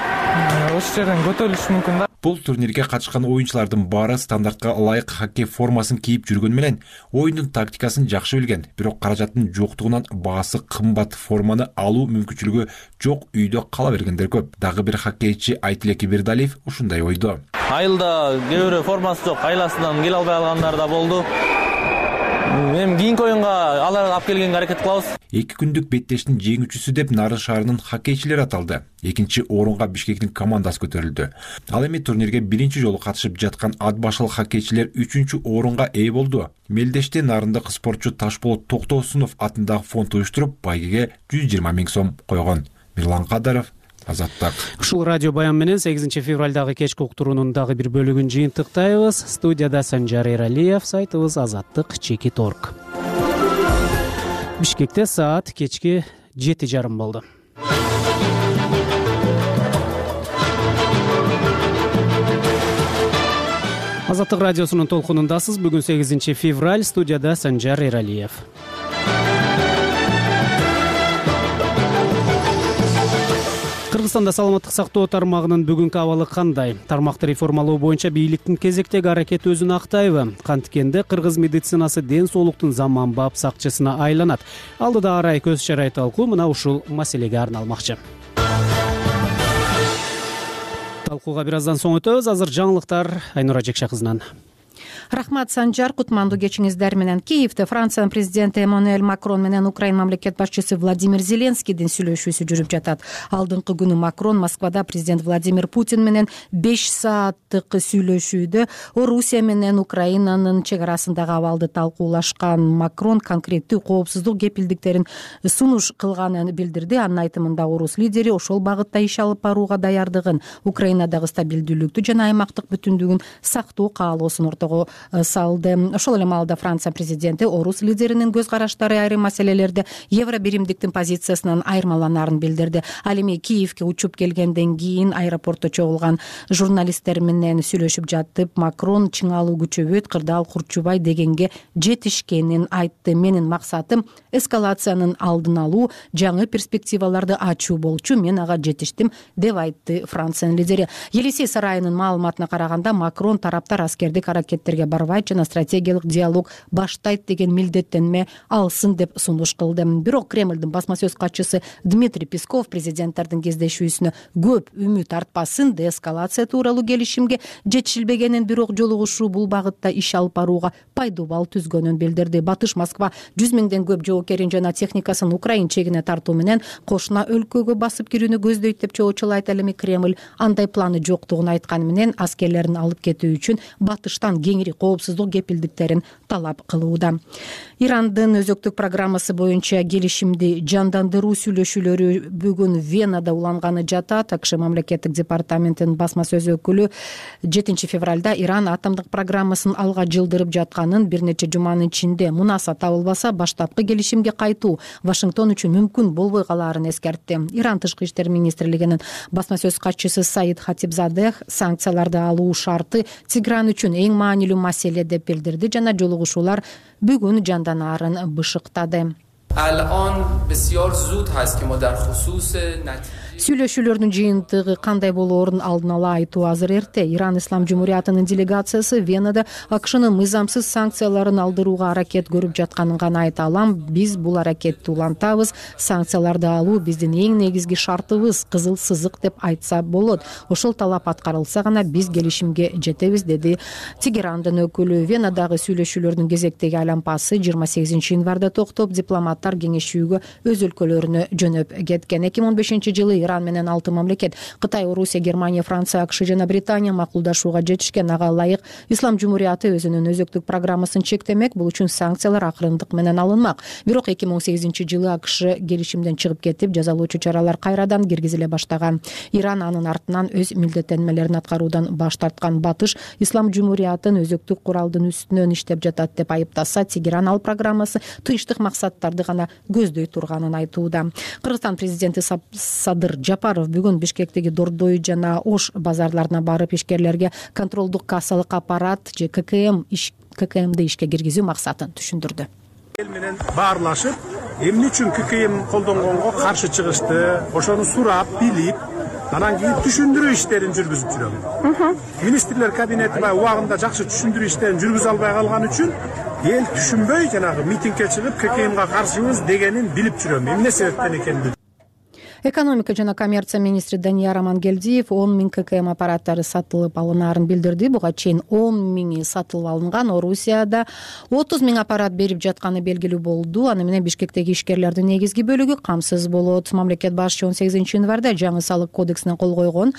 ошол жерден көтөрүлүшү мүмкүн да. Бул турнирге катышкан оюнчулардын баары стандартка ылайык хоккей формасын кийип жүргөн менен оюндун тактикасын жакшы билген, бирок каражаттын жоктугунан баасы кымбат форманы алуу мүмкүнчүлүгү жок үйдө кала бергендер көп. Дагы бир хоккейчи Айтилек Бирдалиев ушундай ойдо. Айылда кээ бирөө формасы жок, айласынан келе албай калгандар да болду. Эми кийинки оюнга аларды алып келгенге аракет кылабыз. 2 күндүк беттештин жеңүүчүсү деп Нарын шаарынын хоккейчилери аталды. Экинчи орунга Бишкектин командасы көтөрүлдү. Ал эми турнирге биринчи жолу катышып жаткан ат башылык хоккейчилер 3-чү орунга ээ болду. Мелдеште нарындык спортчу Ташболот Токтосунов атындагы фонд уюштуруп, байгеге 120 000 сом койгон. Мирлан Кадаров, Азаттык. Ушул радио баян менен 8 февралдагы кечки уктуруунун дагы бир бөлүгүн жыйынтыктайбыз. Студияда Санжар Эралиев, сайтыбыз Азаттык.org. Бишкекте саат кечки 7:30 болду. Азаттык радиосунун толкунундасыз. Бүгүн 8 февраль, студияда Санжар Эралиев. Кыргызстанда саламаттык сактоо тармагынын бүгүнкү абалы кандай? Тармакты реформалоо боюнча бийликтин кезектеги аракети өзүн актайбы? Канткенде кыргыз медицинасы ден соолуктун заманбап сакчысына айланат. Алдыда арай көз чарай талкуу мына ушул маселеге арналмакчы. Талкууга бир аздан соң өтөбүз. Азыр жаңылыктар Айнура Жекше кызынан. Рахмат, Санжар. Кутмандуу кечиңиздер менен. Киевде Франциянын президенти Эммануэль Макрон менен Украина мамлекет башчысы Владимир Зеленскийдин сүйлөшүүсү жүрүп жатат. Алдыңкы күнү Макрон Москвада президент Владимир Путин менен 5 сааттык сүйлөшүүдө Орусия менен Украинанын чек арасындагы абалды талкуулашкан. Макрон конкреттүү коопсуздук кепилдиктерин сунуш кылганын билдирди. Анын айтымында орус лидери ошол багытта иш алып барууга даярдыгын, Украинадагы стабилдүүлүктү жана аймактык бүтүндүгүн сактоо каалоосун ортого салды. Ошол эле маалда Франция президенти орус лидеринин көз караштары айрым маселелерде евро биримдиктин позициясынан айырмаланаарын билдирди. Ал эми Киевге учуп келгенден кийин аэропортто чогулган журналисттер менен сүйлөшүп жатып, Макрон чыңалуу күчөбөйт, кырдаал курчубай дегенге жетишкенин айтты. Менин максатым эскалациянын алдын алуу, жаңы перспективаларды ачуу болчу. Мен ага жетиштим, деп айтты Франциянын лидери. Елисей сарайынын маалыматына караганда, Макрон тараптар аскердик аракеттерге барбайт жана стратегиялык диалог баштайт деген милдеттенме алсын деп сунуш кылды. Бирок Кремлдин басма сөз катчысы Дмитрий Песков президенттердин кездешүүсүнө көп үмүт артпасын, деэскалация тууралуу келишимге жетишилбегенин, бирок жолугушуу бул багытта иш алып барууга пайдуу бал түзгөнүн билдирди. Батыш Москва 100 000ден көп жоокерин жана техникасын Украина чегине тартуу менен кошуна өлкөгө басып кирүүнү көздөйт деп чоочулайт. Ал эми Кремль андай планы жоктугун айтканы менен аскерлерин алып кетүү үчүн Батыштан кеңири коопсуздук кепилдиктерин талап кылууда. Ирандын өзөктүк программасы боюнча келишимди жандандыруу сүйлөшүүлөрү бүгүн Венада уланганы жатат. АКШ мамлекеттик департаментинин басма сөз өкүлү 7 февралда Иран атомдук программасын алга жылдырып жатканын, бир нече жуманын ичинде мунаса табылбаса баштапкы келишимге кайтуу Вашингтон үчүн мүмкүн болбой калаарын эскертти. Иран тышкы иштер министрлигинин басма сөз катчысы Саид Хатибзадех санкцияларды алуу шарты Тегеран үчүн эң маанилүү маселе деп билдирди жана жолугушуулар бүгүн жанданаарын бышыктады. Сүйлөшүүлөрдүн жыйынтыгы кандай болоорун алдын ала айтуу азыр эрте. Иран Ислам Жумуриятынын делегациясы Венада АКШнын мыйзамсыз санкцияларын алдырууга аракет көрүп жатканын гана айта алам. Биз бул аракетти улантабыз. Санкцияларды алуу биздин эң негизги шартыбыз, кызыл сызык деп айтса болот. Ошол талап аткарылса гана биз келишимге жетебиз, деди Тегерандын өкүлү. Венадагы сүйлөшүүлөрдүн кезектеги айлампасы 28 январда токтоп, дипломаттар кеңешүүгө өз өлкөлөрүнө жөнөп кеткен. 2015-жылы Иран менен 6 мамлекет Кытай, Орусия, Германия, Франция, АКШ жана Британия макулдашууга жетишкен. Ага ылайык Ислам Жумурияты өзүнүн өзөктүк программасын чектемек. Бул үчүн санкциялар акырындык менен алынмак. Бирок 2018-жылы АКШ келишимден чыгып кетип, жазалоочу чаралар кайрадан киргизиле баштаган. Иран анын артынан өз милдеттенмелерин аткаруудан баш тарткан. Батыш Ислам Жумуриятын өзөктүк куралдын үстүнөн иштеп жатат деп айыптаса, Тегеран ал программасы тынчтык максаттарды гана көздөй турганын айтууда. Кыргызстан президенти Садыр Жапаров бүгүн Бишкектеги Дордой жана Ош базарларына барып, ишкерлерге контролдук кассалык аппарат же ККМди ишке киргизүү максатын түшүндүрдү. Эл менен баарлашып, эмне үчүн ККМ колдонгонго каршы чыгышты, ошону сурап, билип, анан кийин түшүндүрүү иштерин жүргүзүп жүрөм. Министрлер кабинети убагында жакшы түшүндүрүү иштерин жүргүзө албай калган үчүн эл түшүнбөй жанагы митингге чыгып ККМга каршыбыз дегенин билип жүрөм. Эмне себептен экенин. Экономика жана коммерция министри Данияр Амангелдиев 10 000 ККМ аппараттары сатылып алынаарын билдирди. Буга чейин 10 000 сатылып алынган. Орусияда 30 000 аппарат берип жатканы белгилүү болду. Аны менен Бишкектеги ишкерлердин негизги бөлүгү камсыз болот. Мамлекет башчы 18 январда жаңы салык кодексине кол койгон.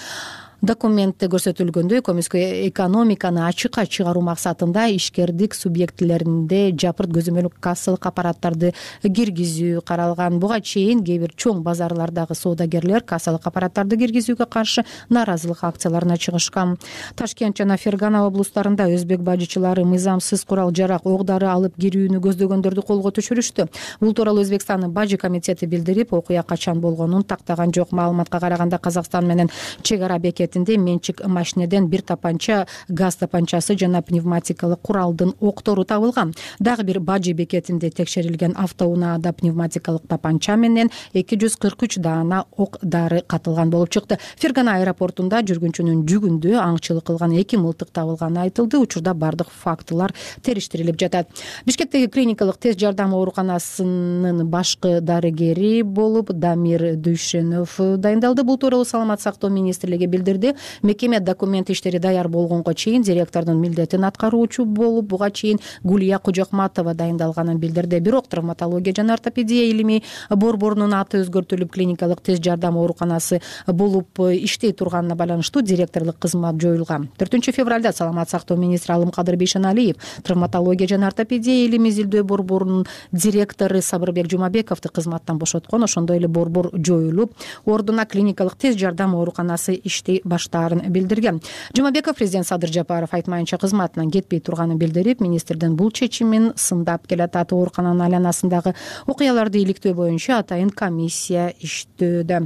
Документте көрсөтүлгөндөй, көмүскө экономиканы ачыкка чыгаруу максатында ишкердик субъектилеринде жапырт көзөмөл кассалык аппараттарды киргизүү каралган. Буга чейин кээ бир чоң базарлардагы соодагерлер кассалык аппараттарды киргизүүгө каршы нааразылык акцияларына чыгышкан. Ташкент жана Фергана облустарында өзбек бажычылары мыйзамсыз курал жарак, ок-дары алып кирүүнү көздөгөндөрдү колго түшүрүштү. Бул тууралуу Өзбекстандын бажы комитети билдирип, окуя качан болгонун тактаган жок. Маалыматка караганда Казакстан менен чек ара бекет менчик машинеден бир тапанча, газ тапанчасы жана пневматикалык куралдын октору табылган. Дагы бир бажы бекетинде текшерилген автоунаада пневматикалык тапанча менен 243 даана ок-дары катылган болуп чыкты. Фергана аэропортунда жүргүнчүнүн жүгүндө аңчылык кылган 2 мылтык табылганы айтылды. Учурда бардык фактылар териштирилип жатат. Бишкектеги клиникалык тез жардам ооруканасынын башкы дарыгери болуп Дамир Дүйшенов дайындалды. Бул тууралуу Саламаттык сактоо министрлиги билдирди. Мекеме документ иштери даяр болгонго чейин директордун милдетин аткаруучу болуп, буга чейин Гулия Кожокматова дайындалганын билдирди. Бирок травматология жана ортопедия илими борборунун аты өзгөртүлүп, клиникалык тез жардам ооруканасы болуп иштей турганына байланыштуу директорлук кызмат жоюлган. 4 февралда Саламаттык сактоо министри Алымкадыр Бейшеналиев травматология жана ортопедия илими изилдөө борборунун директору Сабырбек Жумабековду кызматтан бошоткон. Ошондой эле борбор жоюлуп, ордуна клиникалык тез жардам ооруканасы иштей баштаарын билдирген. Жумабеков президент Садыр Жапаров айтмайынча кызматынан кетпей турганын билдирип, министрдин бул чечимин сындап келатат. Оорукананын айланасындагы окуяларды иликтөө боюнча атайын комиссия иштөөдө.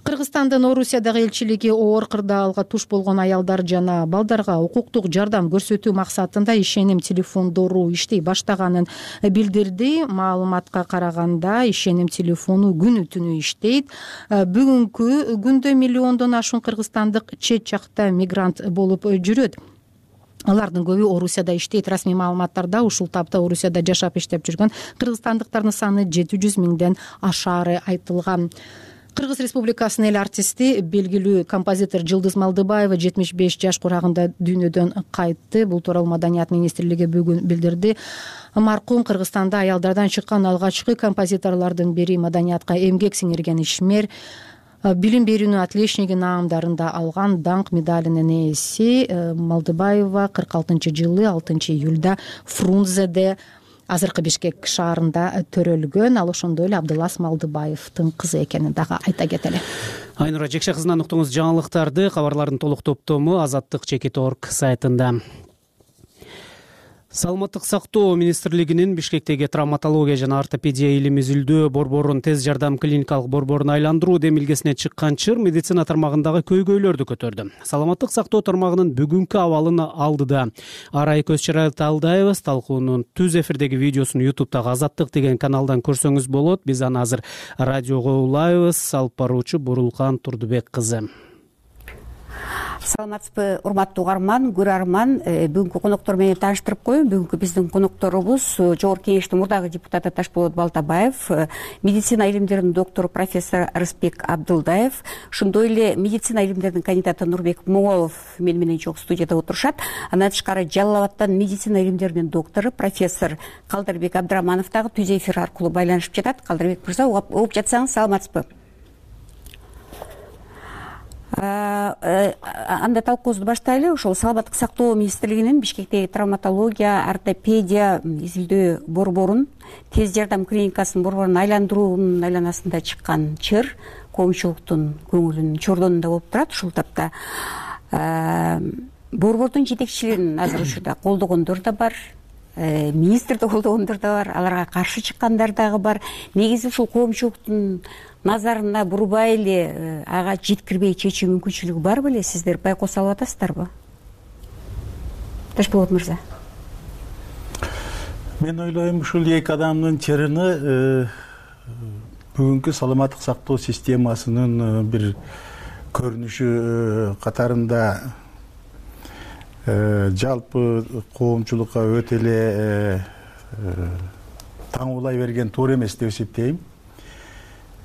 Кыргызстандын Орусиядагы элчилиги оор кырдаалга туш болгон аялдар жана балдарга укуктук жардам көрсөтүү максатында ишеним телефондору иштей баштаганын билдирди. Маалыматка караганда ишеним телефону күнү түнү иштейт. Бүгүнкү күндө миллиондон ашуун кыргызстандык чет жакта мигрант болуп жүрөт. Алардын көбү Орусияда иштейт. Расмий маалыматтарда ушул тапта Орусияда жашап иштеп жүргөн кыргызстандыктардын саны 700 000ден ашаары айтылган. Кыргыз Республикасынын эл артисти, белгилүү композитор Жылдыз Малдыбаева 75 жаш курагында дүйнөдөн кайтты. Бул тууралуу Маданият министрлиги бүгүн билдирди. Маркум Кыргызстанда аялдардан чыккан алгачкы композиторлордун бири, маданиятка эмгек сиңирген ишмер, билим берүүнүн отличниги наамдарында алган даңк медалинин ээси. Малдыбаева 46-жылы 6-июлда Фрунзеде, азыркы Бишкек шаарында төрөлгөн. Ал ошондой эле Абдылас Малдыбаевдин кызы экенин дагы айта кетели. Айнура Жекше кызынан уктуңуз жаңылыктарды. Кабарлардын толук топтому Азаттык.org сайтында. Саламаттык сактоо министрлигинин Бишкектеги травматология жана ортопедия илими изилдөө борборун тез жардам клиникалык борборуна айландыруу демилгесине чыккан чыр медицина тармагындагы көйгөйлөрдү көтөрдү. Саламаттык сактоо тармагынын бүгүнкү абалын алдыда Арай Көзчарай Талдаева талкуунун түз эфирдеги видеосун YouTube'дагы Азаттык деген каналдан көрсөңүз болот. Биз аны азыр радиого улайбыз. Алып баруучу Бурулкан Турдубек кызы. Саламатсызбы, урматтуу угарман, көрөрман. Бүгүнкү коноктор менен тааныштырып коеюн. Бүгүнкү биздин конокторубуз Жогорку Кеңештин мурдагы депутаты Ташболот Балтабаев, медицина илимдеринин доктору профессор Рыспек Абдылдаев, ошондой эле медицина илимдеринин кандидаты Нурбек Моңолов мен менен чогуу студияда отурушат. Андан тышкары Жалал Абадтан медицина илимдеринин доктору профессор Калдырбек Абдыраманов дагы түз эфир аркылуу байланышып жатат. Калдырбек мырза, угуп жатсаңыз саламатсызбы? Анда талкуубузду баштайлы. Ошол Саламаттык сактоо министрлигинин Бишкектеги травматология, ортопедия изилдөө борборун тез жардам клиникасынын борборун айландыруунун айланасында чыккан чыр коомчулуктун көңүлүн чордонунда болуп турат. Ушул тапта борбордун жетекчилигин азыр учурда колдогондор да бар, министрди колдогондор да бар, аларга каршы чыккандар дагы бар. Негизи ушул коомчулуктун назарына бурбай эле ага жеткирбей чечүү мүмкүнчүлүгү бар беле? Сиздер байкоос алып атасыздарбы? Ташболот мырза. Мен ойлойм, ушул эки адамдын чырыны бүгүнкү саламаттык сактоо системасынын бир көрүнүшү катарында жалпы коомчулукка өтө эле таңуулай берген туура эмес деп эсептейм.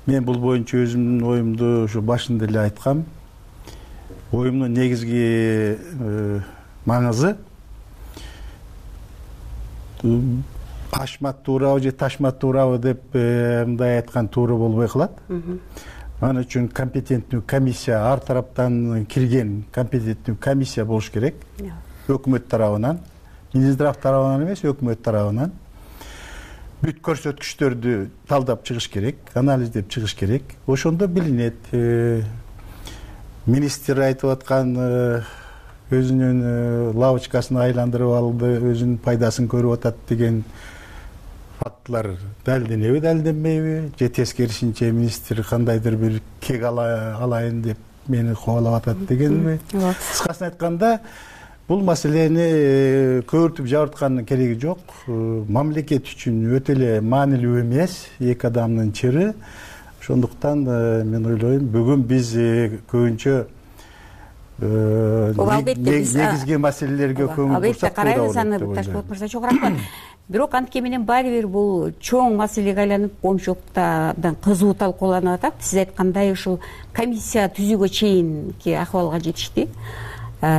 Мен бул боюнча өзүмдүн оюмду ушу башында эле айткам. Оюмдун негизги маңызы ашмат туурабы же ташмат туурабы деп мындай айткан туура болбой калат. Аны үчүн компетенттүү комиссия, ар тараптан кирген компетенттүү комиссия болуш керек. Өкмөт тарабынан, Минздрав тарабынан эмес, өкмөт тарабынан бүт көрсөткүчтөрдү талдап чыгыш керек, анализдеп чыгыш керек. Ошондо билинет. Министр айтып аткан өзүнүн лавочкасын айландырып алды, өзүнүн пайдасын көрүп атат деген фактылар далилденеби, далилденбейби, же тескерисинче министр кандайдыр бир кек алайын деп мени кубалап атат дегенби? Кыскасын айтканда, бул маселени көбүртүп жабырткандын кереги жок. Мамлекет үчүн өтө эле маанилүү эмес эки адамдын чыры. Ошондуктан мен ойлойм, бүгүн биз көбүнчө негизги маселелерге көңүл бурсак туура болот. Албетте карайбыз аны, Ташпулат мырза, чоң рахмат. Бирок антке менен баары бир бул чоң маселеге айланып, коомчулуктан кызуу талкууланып атат. Сиз айткандай ушул комиссия түзүүгө чейинки акыбалга жетишти.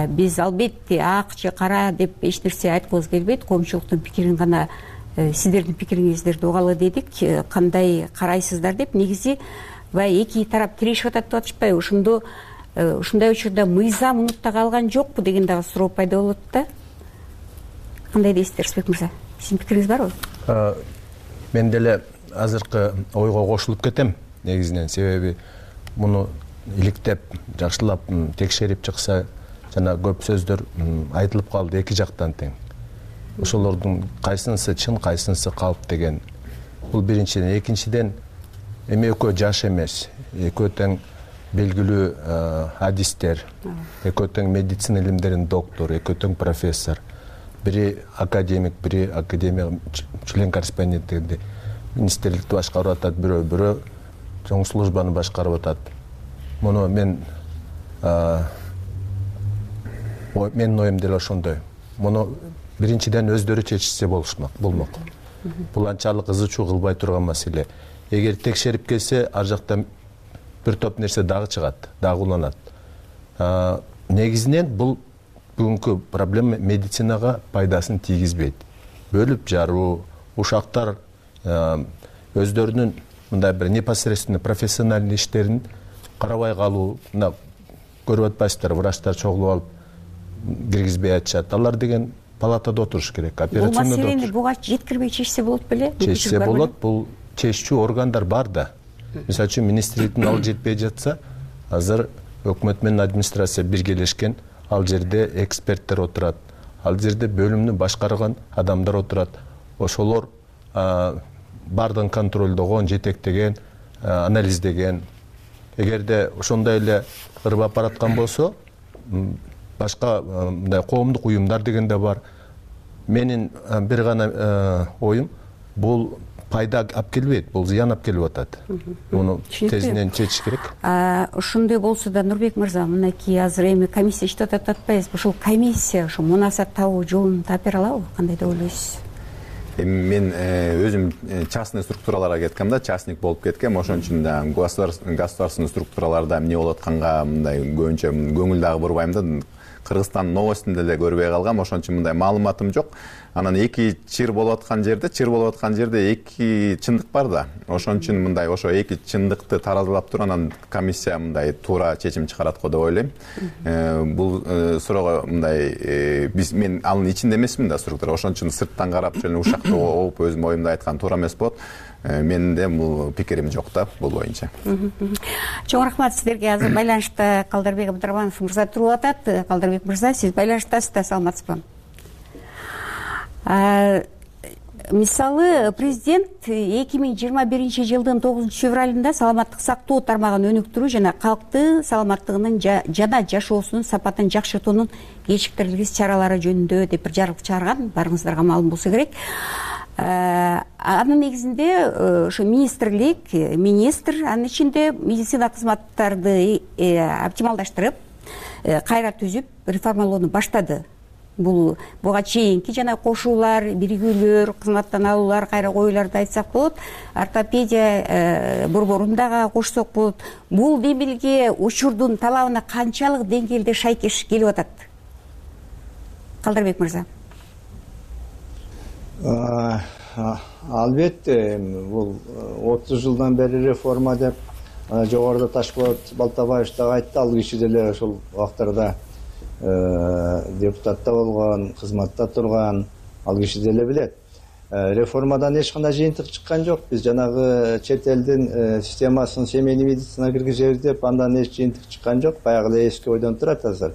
Биз албетте ак же кара деп эч нерсе айткыбыз келбейт. Коомчулуктун пикирин гана, сиздердин пикириңиздерди угалы дедик. Кандай карайсыздар деп. Негизи баягы эки тарап тирешип атат деп атышпайбы? Ошондо ушундай учурда мыйзам унутта калган жокпу деген дагы суроо пайда болот да. Кандай дейсиздер, Рысбек мырза? Сиздин пикириңиз барбы? Мен деле азыркы ойго кошулуп кетем негизинен. Себеби муну иликтеп, жакшылап текшерип чыкса, жана көп сөздөр айтылып калды эки жактан тең. Ошолордун кайсынысы чын, кайсынысы калп деген. Бул биринчиден. Экинчиден, эми экөө жаш эмес, экөө тең белгилүү адистер, экөө тең медицина илимдеринин доктору, экөө тең профессор. Бири академик, бири академия член корреспонденти министрликти башкарып атат, бирөө чоң службаны башкарып атат. Муну менин оюм деле ошондой. Муну биринчиден өздөрү чечишсе болмок. Бул анчалык ызы-чуу кылбай турган маселе. Эгер текшерип келсе, ар жактан бир топ нерсе дагы чыгат, дагы уланат. Негизинен бул бүгүнкү проблема медицинага пайдасын тийгизбейт. Бөлүп жаруу, ушактар өздөрүнүн мындай бир непосредственно профессиональный иштерин карабай калуу, мына көрүп атпайсыздар, врачтар чогулуп алып киргизбей атышат. Алар деген палатада отуруш керек, операционда отуруш. Бул маселени буга жеткирбей чечсе болот беле? Чечсе болот, бул чечүүчү органдар бар да. Мисалы үчүн министрликтин ал жетпей жатса, азыр өкмөт менен администрация биргелешкен, ал жерде эксперттер отурат, ал жерде бөлүмдү башкарган адамдар отурат. Ошолор бардыгын контролдогон, жетектеген, анализдеген. Эгерде ошондой эле ырбап бараткан болсо, башка мындай коомдук уюмдар деген да бар. Менин бир гана оюм, бул пайда алып келбейт, бул зыян алып келип атат. Муну тезинен чечиш керек. Ошондой болсо да, Нурбек мырза, мынакей азыр эми комиссия иштеп атат атпайбызбы? Ушул комиссия ушу мунасат табуу жолун тапера алабы? Кандай деп ойлойсуз? Мен өзүм частный структураларга кеткем да, частник болуп кеткем. Ошон үчүн да государственный структураларда эмне болуп атканга мындай көбүнчө көңүл дагы бурбайм да. Кыргызстан новостунда эле көрбөй калгам, ошон үчүн мындай маалыматым жок. Анан эки чыр болуп аткан жерде эки чындык бар да. Ошон үчүн мындай ошо эки чындыкты таразалап туруп, анан комиссия мындай туура чечим чыгарат го деп ойлойм. Бул суроого мындай мен анын ичинде эмесмин да структура. Ошон үчүн сырттан карап жөн ушакты оуп өзүм оюмду айткан туура эмес болот. Менин да бул пикирим жок да бул боюнча. Чоң рахмат сиздерге. Азыр байланышта Калдарбек Абдрахманов мырза туруп атат. Калдарбек мырза, сиз байланыштасыз да, саламатсызбы? Мисалы, президент 2021 жылдын 9 февралында саламаттык сактоо тармагын өнүктүрүү жана калкты саламаттыгынын жана жашоосунун сапатын жакшыртуунун кечиктирилгис чаралары жөнүндө деп бир жарык чыгарган. Барыңыздарга маалым болсо керек. Анын негизинде ошо министр анын ичинде медицина кызматтарды оптималдаштырып, кайра түзүп, реформалоону баштады. Буга чейинки жана кошуулар, биригүүлөр, кызматтан алуулар, кайра коюуларды айтсак болот, ортопедия борборун дагы кошсок болот. Бул демилге учурдун талабына канчалык деңгээлде шайкеш келип атат? Калдырбек мырза. Албетте, бул 30 жылдан бери реформа деп жогоруда Ташполот Балтабаев дагы айтты, ал киши деле ошол убактарда депутатта болгон, кызматта турган, ал киши деле билет. Реформадан эч кандай жыйынтык чыккан жок. Биз жанагы чет элдин системасын семейный медицина киргизебиз деп, андан эч жыйынтык чыккан жок. Баягы эле эски ойдон турат азыр.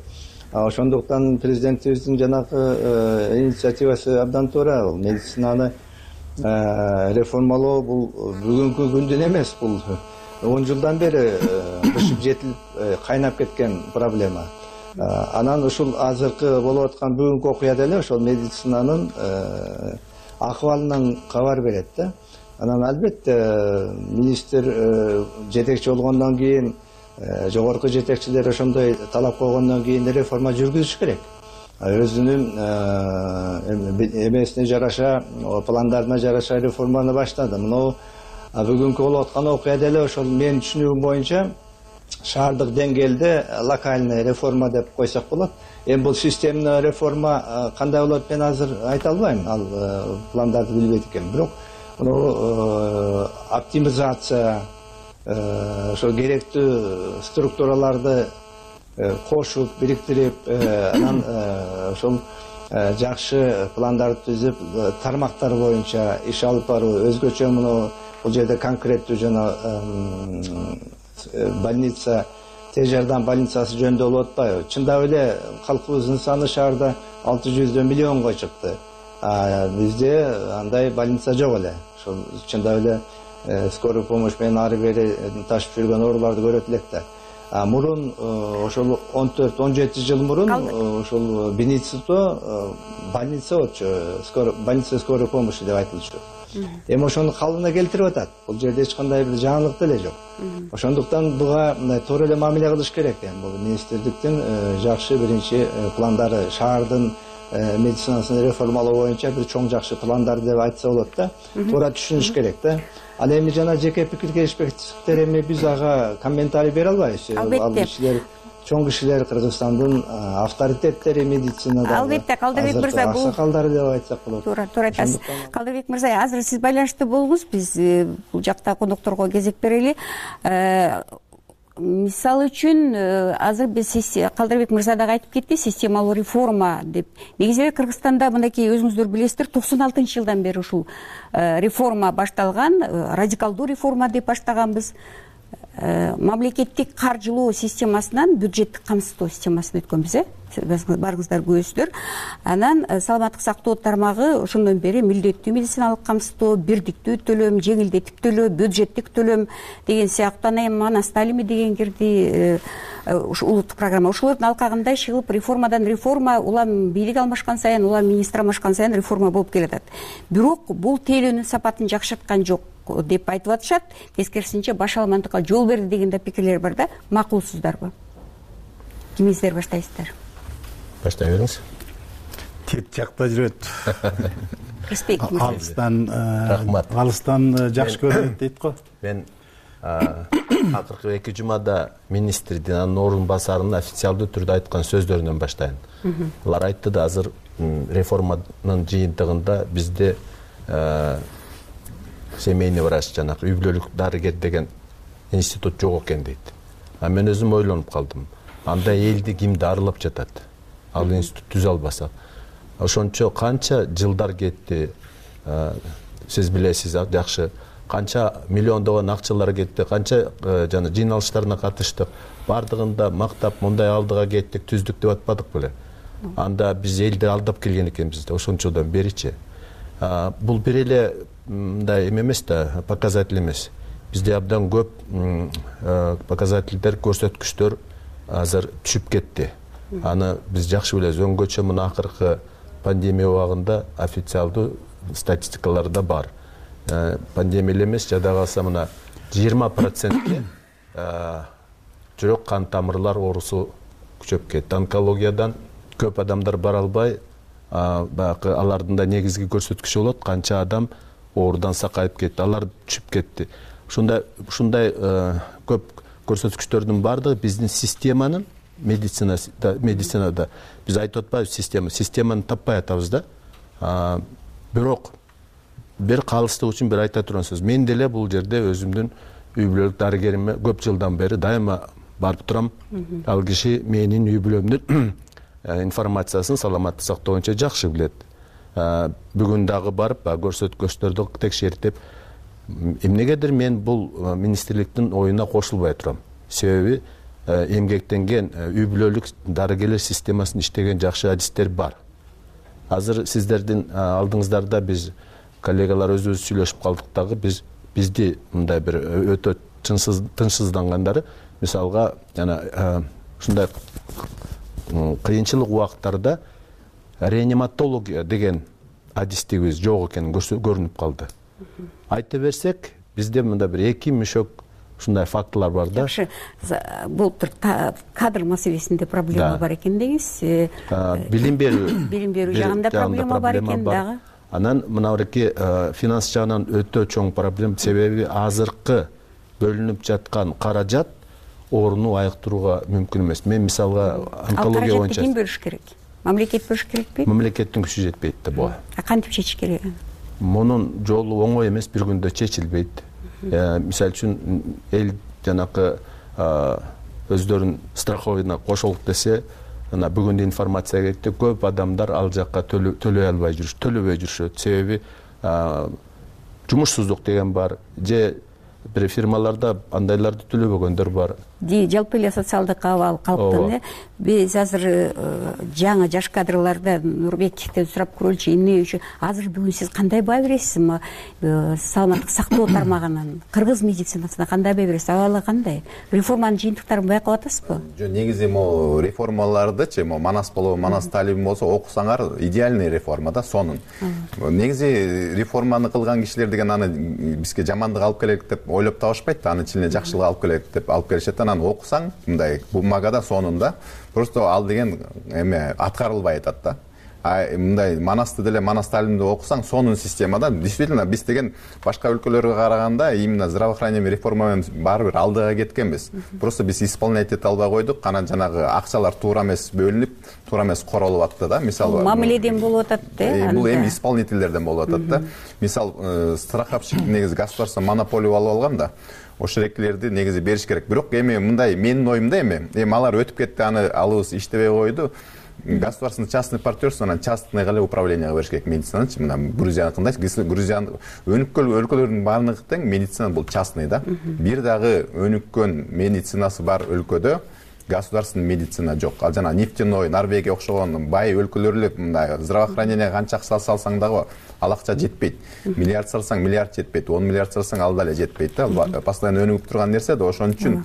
Ошондуктан президентибиздин жанагы инициативасы абдан туура. Медицинаны реформалоо бул бүгүнкү күндөн эмес, бул 10 жылдан бери бышып жетилип кайнап кеткен проблема. Анан ушул азыркы болуп аткан бүгүнкү окуя деле ошол медицинанын акыбалынан кабар берет да. Анан албетте министр жетекчи болгондон кийин, жогорку жетекчилер ошондой талап койгондон кийин реформа жүргүзүш керек. Өзүнүн эмесине жараша, пландарына жараша реформаны баштады. Мына бүгүнкү болуп аткан окуя деле ошол менин түшүнүгүм боюнча шаардык деңгээлде локальный реформа деп койсок болот. Эми бул системный реформа кандай болот, мен азыр айта албайм, ал пландарды билбейт экенмин. Бирок оптимизация, ошол керектүү структураларды кошуп, бириктирип, анан ошол жакшы пландарды түзүп, тармактар боюнча иш алып баруу, өзгөчө мына бул жерде конкреттүү жана больница, тез жардам больницасы жөнүндө болуп атпайбы? Чындап эле калкыбыздын саны шаарда 600 миллионго чыкты. Бизде андай больница жок эле. Ошол чындап эле скорый помощь менен ары бери ташып жүргөн ооруларды көрөт элек да. Мурун ошол 14-17 жыл мурун ошол Беницито больница болчу, больница скорой помощи деп айтылчу. Эми ошону калыбына келтирип атат. Бул жерде эч кандай бир жаңылык деле жок. Ошондуктан буга туура эле мамиле кылыш керек. Бул министрликтин жакшы биринчи пландары, шаардын медицинасын реформалоо боюнча бир чоң жакшы пландар деп айтса болот да. Туура түшүнүш керек да. Ал эми жана жеке пикир келишпестиктер эми биз ага комментарий бере албайбыз. Ал кишилер, чоң кишилер, Кыргызстандын авторитеттери медицинада. Албетте, Калдырбек мырза, бул аксакалдар деп айтсак болот. Туура айтасыз. Калдырбек мырза, азыр сиз байланышта болуңуз, биз бул жакта конокторго кезек берели. Мисалы үчүн азыр биз Калдырбек мырза дагы айтып кетти, системалуу реформа деп. Негизи Кыргызстанда мынакей өзүңүздөр билесиздер, 96 жылдан бери ушул реформа башталган, радикалдуу реформа деп баштаганбыз. Мамлекеттик каржылоо системасынан бюджеттик камсыздоо системасына өткөнбүз, барыңыздар көрөсүздөр. Анан саламаттык сактоо тармагы ошондон бери милдеттүү медициналык камсыздоо, бирдиктүү төлөм, жеңилдетип төлөө, бюджеттик төлөм деген сыяктуу, анан Сталими деген кирди, улуттук программа. Ошолордун алкагында иш кылып реформадан реформа, улам бийлик алмашкан сайын, улам министр алмашкан сайын реформа болуп келатат. Бирок бул тейлөөнүн сапатын жакшырткан жок деп айтып атышат. Тескерисинче баш алмандыкка жол берди деген да пикирлер бар да. Макулсуздарбы? Кимиңиздер баштайсыздар? Баштай бериңиз. Тет жакта жүрөт. Алыстан жакшы көрөт дейт го. Мен акыркы 2 жумада министрдин, анын орун басарынын официалдуу түрдө айткан сөздөрүнөн баштайын. Алар айтты да, азыр реформанын жыйынтыгында бизде семейный врач, жанагы үй бүлөлүк дарыгер деген институт жок экен дейт. Мен өзүм ойлонуп калдым. Анда элди ким дарылап жатат? Ал институт түзө албасак. Ошончо канча жылдар кетти. Сиз билесиз жакшы. Канча миллиондогон акчалар кетти, канча жана жыйналыштарына катыштык. Бардыгында мактап, мындай алдыга кеттик, түздүк деп атпадык беле? Анда биз элди алдап келген экенбиз да, ошончодон беричи. Бул бир эле мындай эмес да, показатель эмес. Бизде абдан көп показательдер, көрсөткүчтөр азыр түшүп кетти. Аны биз жакшы билебиз. Өңгөчө мына акыркы пандемия убагында официалдуу статистикаларда бар. Пандемия эле эмес, жада калса мына 20%ке жүрөк кан тамырлар оорусу күчөп кетти. Онкологиядан көп адамдар бара албай, баягы алардын да негизги көрсөткүчү болот, канча адам оорудан сакайып кетти, алар түшүп кетти. Ушундай көп көрсөткүчтөрдүн бардыгы биздин системанын медицинада биз айтып атпайбыз, системаны таппай атабыз да. Бирок бир калыстык үчүн бир айта турган сөз. Мен деле бул жерде өзүмдүн үй бүлөлүк дарыгериме көп жылдан бери дайыма барып турам. Ал киши менин үй бүлөмдүн информациясын саламаттык сактоо боюнча жакшы билет. Бүгүн дагы барып көрсөткүчтөрдү текшертип, эмнегедир мен бул министрликтин оюна кошулбай турам. Себеби эмгектенген үй бүлөлүк дарыгерлер системасында иштеген жакшы адистер бар. Азыр сиздердин алдыңыздарда биз коллегалар өзүбүз сүйлөшүп калдык дагы, бизди мындай бир өтө тынчсыздангандары, мисалга жана ушундай кыйынчылык убакыттарда реаниматология деген адистигибиз жок экени көрүнүп калды. Айта берсек, бизде мында бир 2 мүшөк ушундай фактылар бар да. Жакшы, былтыр кадр маселесинде проблема бар экен деңиз. Билим берүү жагында проблема бар экен дагы. Анан мынабеки финанс жагынан өтө чоң проблема, себеби азыркы бөлүнүп жаткан каражат орунду айыктырууга мүмкүн эмес. Мен мисалга онкология боюнча ким бөлүш керек? Мамлекет бөлүш керекпи? Мамлекеттин күчү жетпейт да буга. Кантип чечиш керек? Мунун жолу оңой эмес, бир күндө чечилбейт. Мисалы үчүн эл жанакы өздөрүнүн страховыйына кошолук десе, ана бүгүн информация кетти, көп адамдар ал жакка төлөбөй жүрүшөт. Себеби жумушсуздук деген бар, же бир фирмаларда андайларды төлөбөгөндөр бар. Жалпы эле социалдык абал калктын. Биз азыр жаңы жаш кадрларда Нурбековден сурап көрөлүчү, эмне үчүн азыр бүгүн сиз кандай баа бересиз? Саламаттык сактоо тармагынан кыргыз медицинасына кандай баа бересиз? Абалы кандай? Реформанын жыйынтыктарын байкап атасызбы? Жок, негизи могу реформалардычы, Манас болобу, Манас талибин болсо окусаңар, идеальный реформа да сонун. Негизи реформаны кылган кишилер деген аны бизге жамандык алып келет деп ойлоп табышпайт, аны ичине жакшылык алып келет деп алып келишет. Анан окусаң, мындай бумагада сонунда просто ал деген эме аткарылбай атат да. Мындай Манасты деле, Манас талибинди окусаң, сонун системада действительно биз деген башка өлкөлөргө караганда именно здравоохранение реформа менен баары бир алдыга кеткенбиз. Просто биз исполнять эте албай койдук, анан жанагы акчалар туура эмес бөлүнүп, туура эмес королуп атты да. Мисалы мамиледен болуп атат да. Бул эми исполнительдерден болуп атат да. Мисал страховщик негизи государство монополия алып алган да. Ошол эркилерди негизи бериш керек. Бирок эми мындай менин оюмда эми алар өтүп кетти, аны алыбыз иштебей койду. Государственный частный партнерство, анан частный эле управленияга бериш керек медицинаны. Мына Грузияныкындай, Грузиян өнүккөн өлкөлөрдүн баардыгы тең медицина бул частный да. Бир дагы өнүккөн медицинасы бар өлкөдө государственный медицина жок. Ал жана нефтяной, Норвегия окшогон бай өлкөлөр эле мындай здравоохранение канча акча салсаң дагы ал акча жетпейт. Миллиард салсаң миллиард жетпейт, 10 миллиард салсаң ал дале жетпейт да. Постоянно өнүгүп турган нерсе да. Ошон үчүн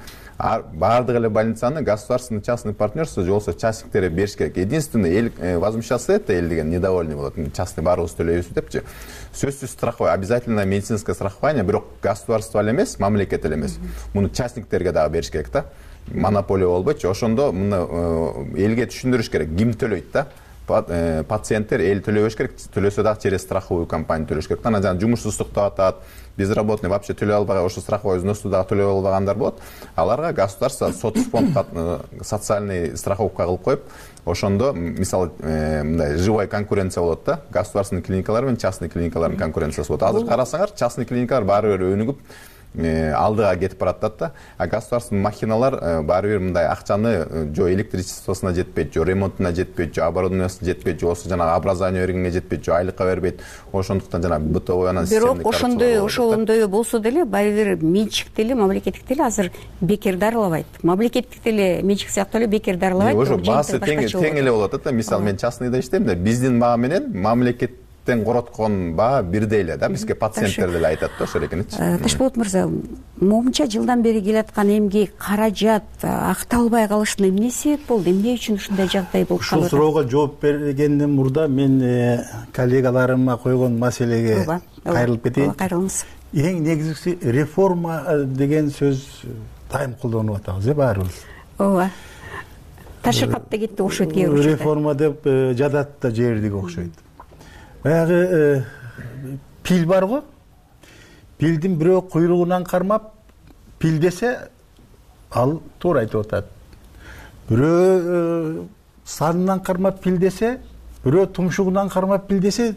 баардык эле больницаны государственный частный партнерство же болсо частниктер бериш керек. Единственное, эл возмущаться это, эл деген недовольный болот. Частный баарыбыз төлөйбүз депчи. Сөзсүз страхование, обязательно медицинское страхование, бирок государство эле эмес, мамлекет эле эмес. Муну частниктерге дагы бериш керек да. Монополия болбойчу. Ошондо муну элге түшүндүрүш керек. Ким төлөйт да? Пациенттер эл төлөбөш керек, төлөсө дагы через страховую компания төлөш керек. Анан жана жумушсуздукту атат, безработный вообще төлөй албаган, ошо страховой взносу дагы төлөй албагандар болот. Аларга государство соцфонд социальный страховка кылып коюп, ошондо мисалы мындай живая конкуренция болот да. Государственный клиникалар менен частный клиникалардын конкуренциясы болот. Азыр карасаңар, частный клиникалар баары бир өнүгүп алдыга кетип баратат да. А государственный махиналар баары бир мындай акчаны жо электричествосуна жетпейт, жо ремонтуна жетпейт, жо оборудованиясына жетпейт, жо болсо жанагы образование бергенге жетпейт, жо айлыкка бербейт. Ошондуктан жана бытовой анан бирок ошондой болсо деле баары бир менчик деле, мамлекеттик деле азыр бекер дарылабайт. Мамлекеттик деле менчик сыяктуу эле бекер дарылабайт. Ошо баасы тең эле болуп атат да. Мисалы мен частныйда иштейм да, биздин баа менен мамлекет тең короткон баа бирдей эле да, бизге пациенттер деле айтат да, ошол экенчи. Ташполот мырза, момунча жылдан бери келаткан эмгек, каражат акталбай калышына эмне себеп болду? Эмне үчүн ушундай жагдай болуп калды? Ушул суроого жооп бергенден мурда мен коллегаларыма койгон маселеге кайрылып кетейин. Кайрылыңыз. Эң негизгиси реформа деген сөз дайым колдонуп атабыз, баарыбыз. Ооба. Ташыркап да кетти окшойт кээ бир. Реформа деп жадат да жибердик окшойт. Баягы пил бар го. Пилдин бирөө куйругунан кармап пил десе, ал туура айтып атат. Бирөө санынан кармап пил десе, бирөө тумшугунан кармап пил десе,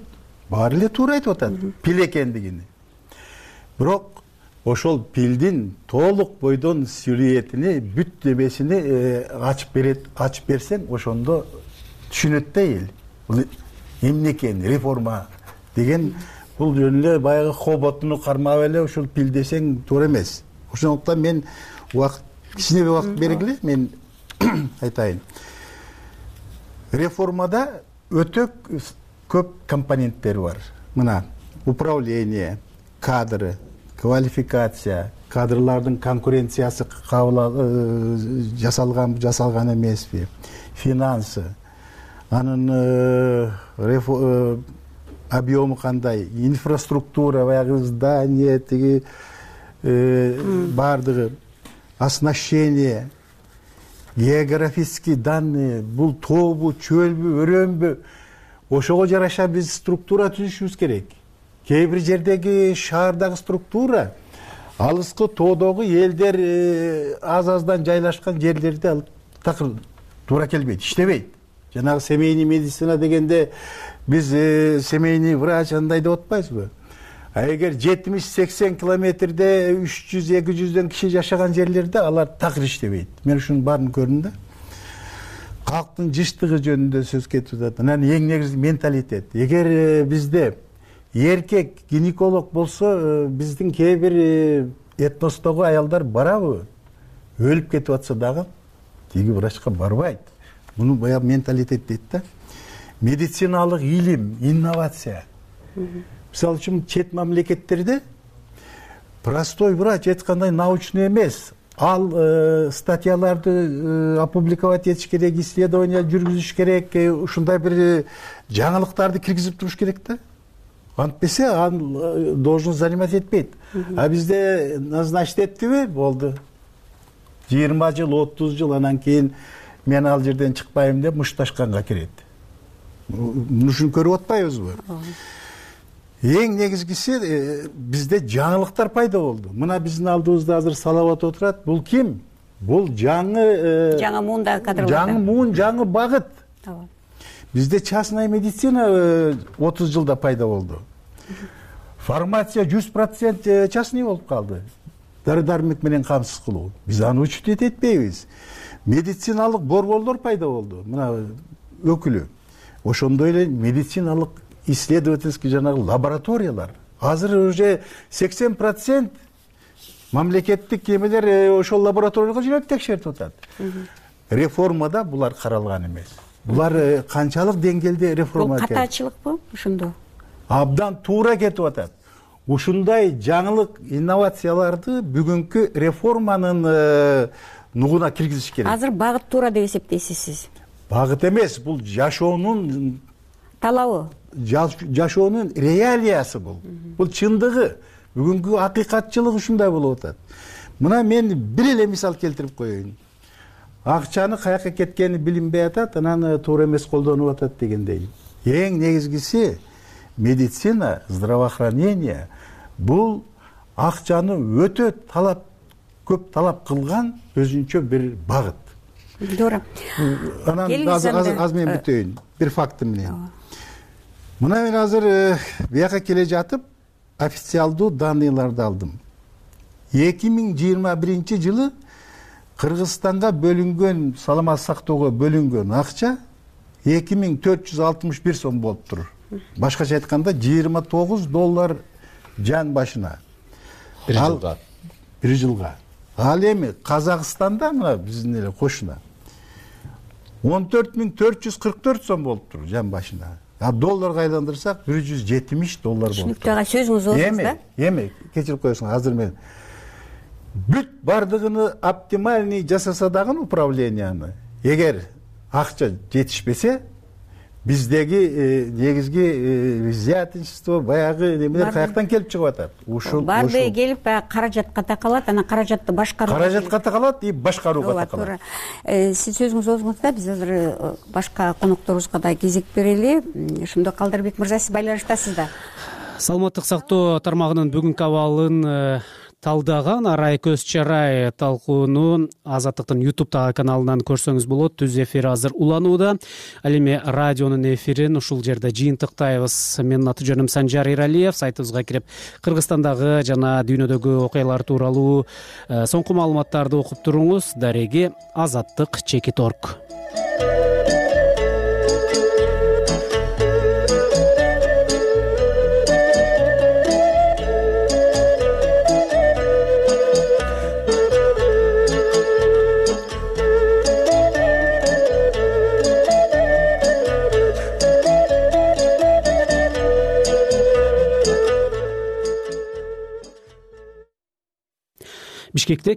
баары эле туура айтып атат пил экендигини. Бирок ошол пилдин толук бойдон сюжетини, бүт демесини ачып берсең, ошондо түшүнөт да эл. Бул эмне экен реформа деген, бул жөн эле баягы хоботуну кармап эле ушул пил десең туура эмес. Ошондуктан мен кичине убакыт бергиле, мен айтайын. Реформада өтө көп компоненттери бар. Мына управление, кадры, квалификация, кадрлардын конкуренциясы жасалган эмеспи, финансы, анын объему кандай, инфраструктура, баягы здание, тиги бардыгы, оснащение, географический данные, бул тообу, чөлбү, өрөмбү, ошого жараша биз структура түзүшүбүз керек. Кээ бир жердеги шаардагы структура алыскы тоодогу элдер аз-аздан жайлашкан жерлерде алып такыр туура келбейт, иштебейт. Жанагы семейный медицина дегенде биз семейный врач андай деп атпайбызбы? А эгер 70-80 километрде 300-200дөн киши жашаган жерлерде алар такыр иштебейт. Мен ушунун баарын көрдүм да. Калктын жыштыгы жөнүндө сөз кетип атат. Анан эң негизги менталитет. Эгер бизде эркек гинеколог болсо, биздин кээ бир этностогу аялдар барабы? Өлүп кетип атса дагы тиги врачка барбайт. Муну баягы менталитет дейт да. Медициналык илим, инновация. Мисалы үчүн чет мамлекеттерде простой врач эч кандай научный эмес. Ал статьяларды опубликовать этиш керек, исследование жүргүзүш керек, ушундай бир жаңылыктарды киргизип туруш керек да. Антпесе ал должность занимать этпейт. А бизде назначить эттиби? Болду. 20 жыл, 30 жыл анан кийин мен ал жерден чыкпайм деп мушташканга кирет. Ушуну көрүп атпайбызбы? Эң негизгиси бизде жаңылыктар пайда болду. Мына биздин алдыбызда азыр Салават отурат. Бул ким? Бул жаңы муундагы кадрлар. Жаңы муун, жаңы багыт. Бизде частная медицина 30 жылда пайда болду. Фармация 100% частный болуп калды. Дары-дармек менен камсыз кылуу. Биз аны учет этпейбиз. Медициналык борборлор пайда болду. Мына өкүлү. Ошондой эле медициналык исследовательский жанагы лабораториялар. Азыр уже 80% мамлекеттик эмелер ошол лабораторияга жүрүп текшертип атат. Реформада булар каралган эмес. Булар канчалык деңгээлде реформа экен? Бул катачылыкпы ошондо? Абдан туура кетип атат. Ушундай жаңылык инновацияларды бүгүнкү реформанын нугуна киргизиш керек. Азыр багыт туура деп эсептейсиз сиз? Багыт эмес, бул жашоонун талабы. Жашоонун реалиясы бул. Бул чындыгы. Бүгүнкү акыйкатчылык ушундай болуп атат. Мына мен бир эле мисал келтирип коеюн. Акчаны каяка кеткени билинбей атат, анан туура эмес колдонуп атат дегендей. Эң негизгиси медицина, здравоохранение бул акчаны өтө көп талап кылган өзүнчө бир багыт. Туура. Анан азыр мен бүтөйүн бир факт менен. Мына мен азыр бияка келе жатып официалдуу данныйларды алдым. 2021 жылы Кыргызстанга бөлүнгөн, саламат сактоого бөлүнгөн акча 2461 сом болуптур. Башкача айтканда $29 жан башына. Bir жылга. Ал эми Казакстанда мына биздин эле кошуна 14444 сом болуптур жан башына. долларга айландырсак $170 болот. түшүнүктүү ага, сөзүңүз ооңуз да. Эми кечирип коесуң, азыр мен бүт бардыгыны оптимальный жасаса дагы управленияны, эгер акча жетишпесе, биздеги негизги взяточество баягы немелер каяктан келип чыгып атат? Баардыгы келип каражатка такалат, анан каражатты башкаруу. Каражатка такалат и башкарууга такалат. Сиз сөзүңүз ооңузда, биз азыр башка конокторубузга да кезек берели. Ошондо Калдарбек мырза, сиз байланыштасыз да. Саламаттык сактоо тармагынын бүгүнкү абалын талдаган арай көз чарай талкууну Азаттыктын YouTube каналынан көрсөңүз болот. Түз эфир азыр уланууда. Ал эми радионун эфирин ушул жерде жыйынтыктайбыз. Менин аты жөнүм Санжар Иралиев. Сайтыбызга кирип Кыргызстандагы жана дүйнөдөгү окуялар тууралуу соңку маалыматтарды окуп туруңуз. Дареги azattik.org. Бишкекте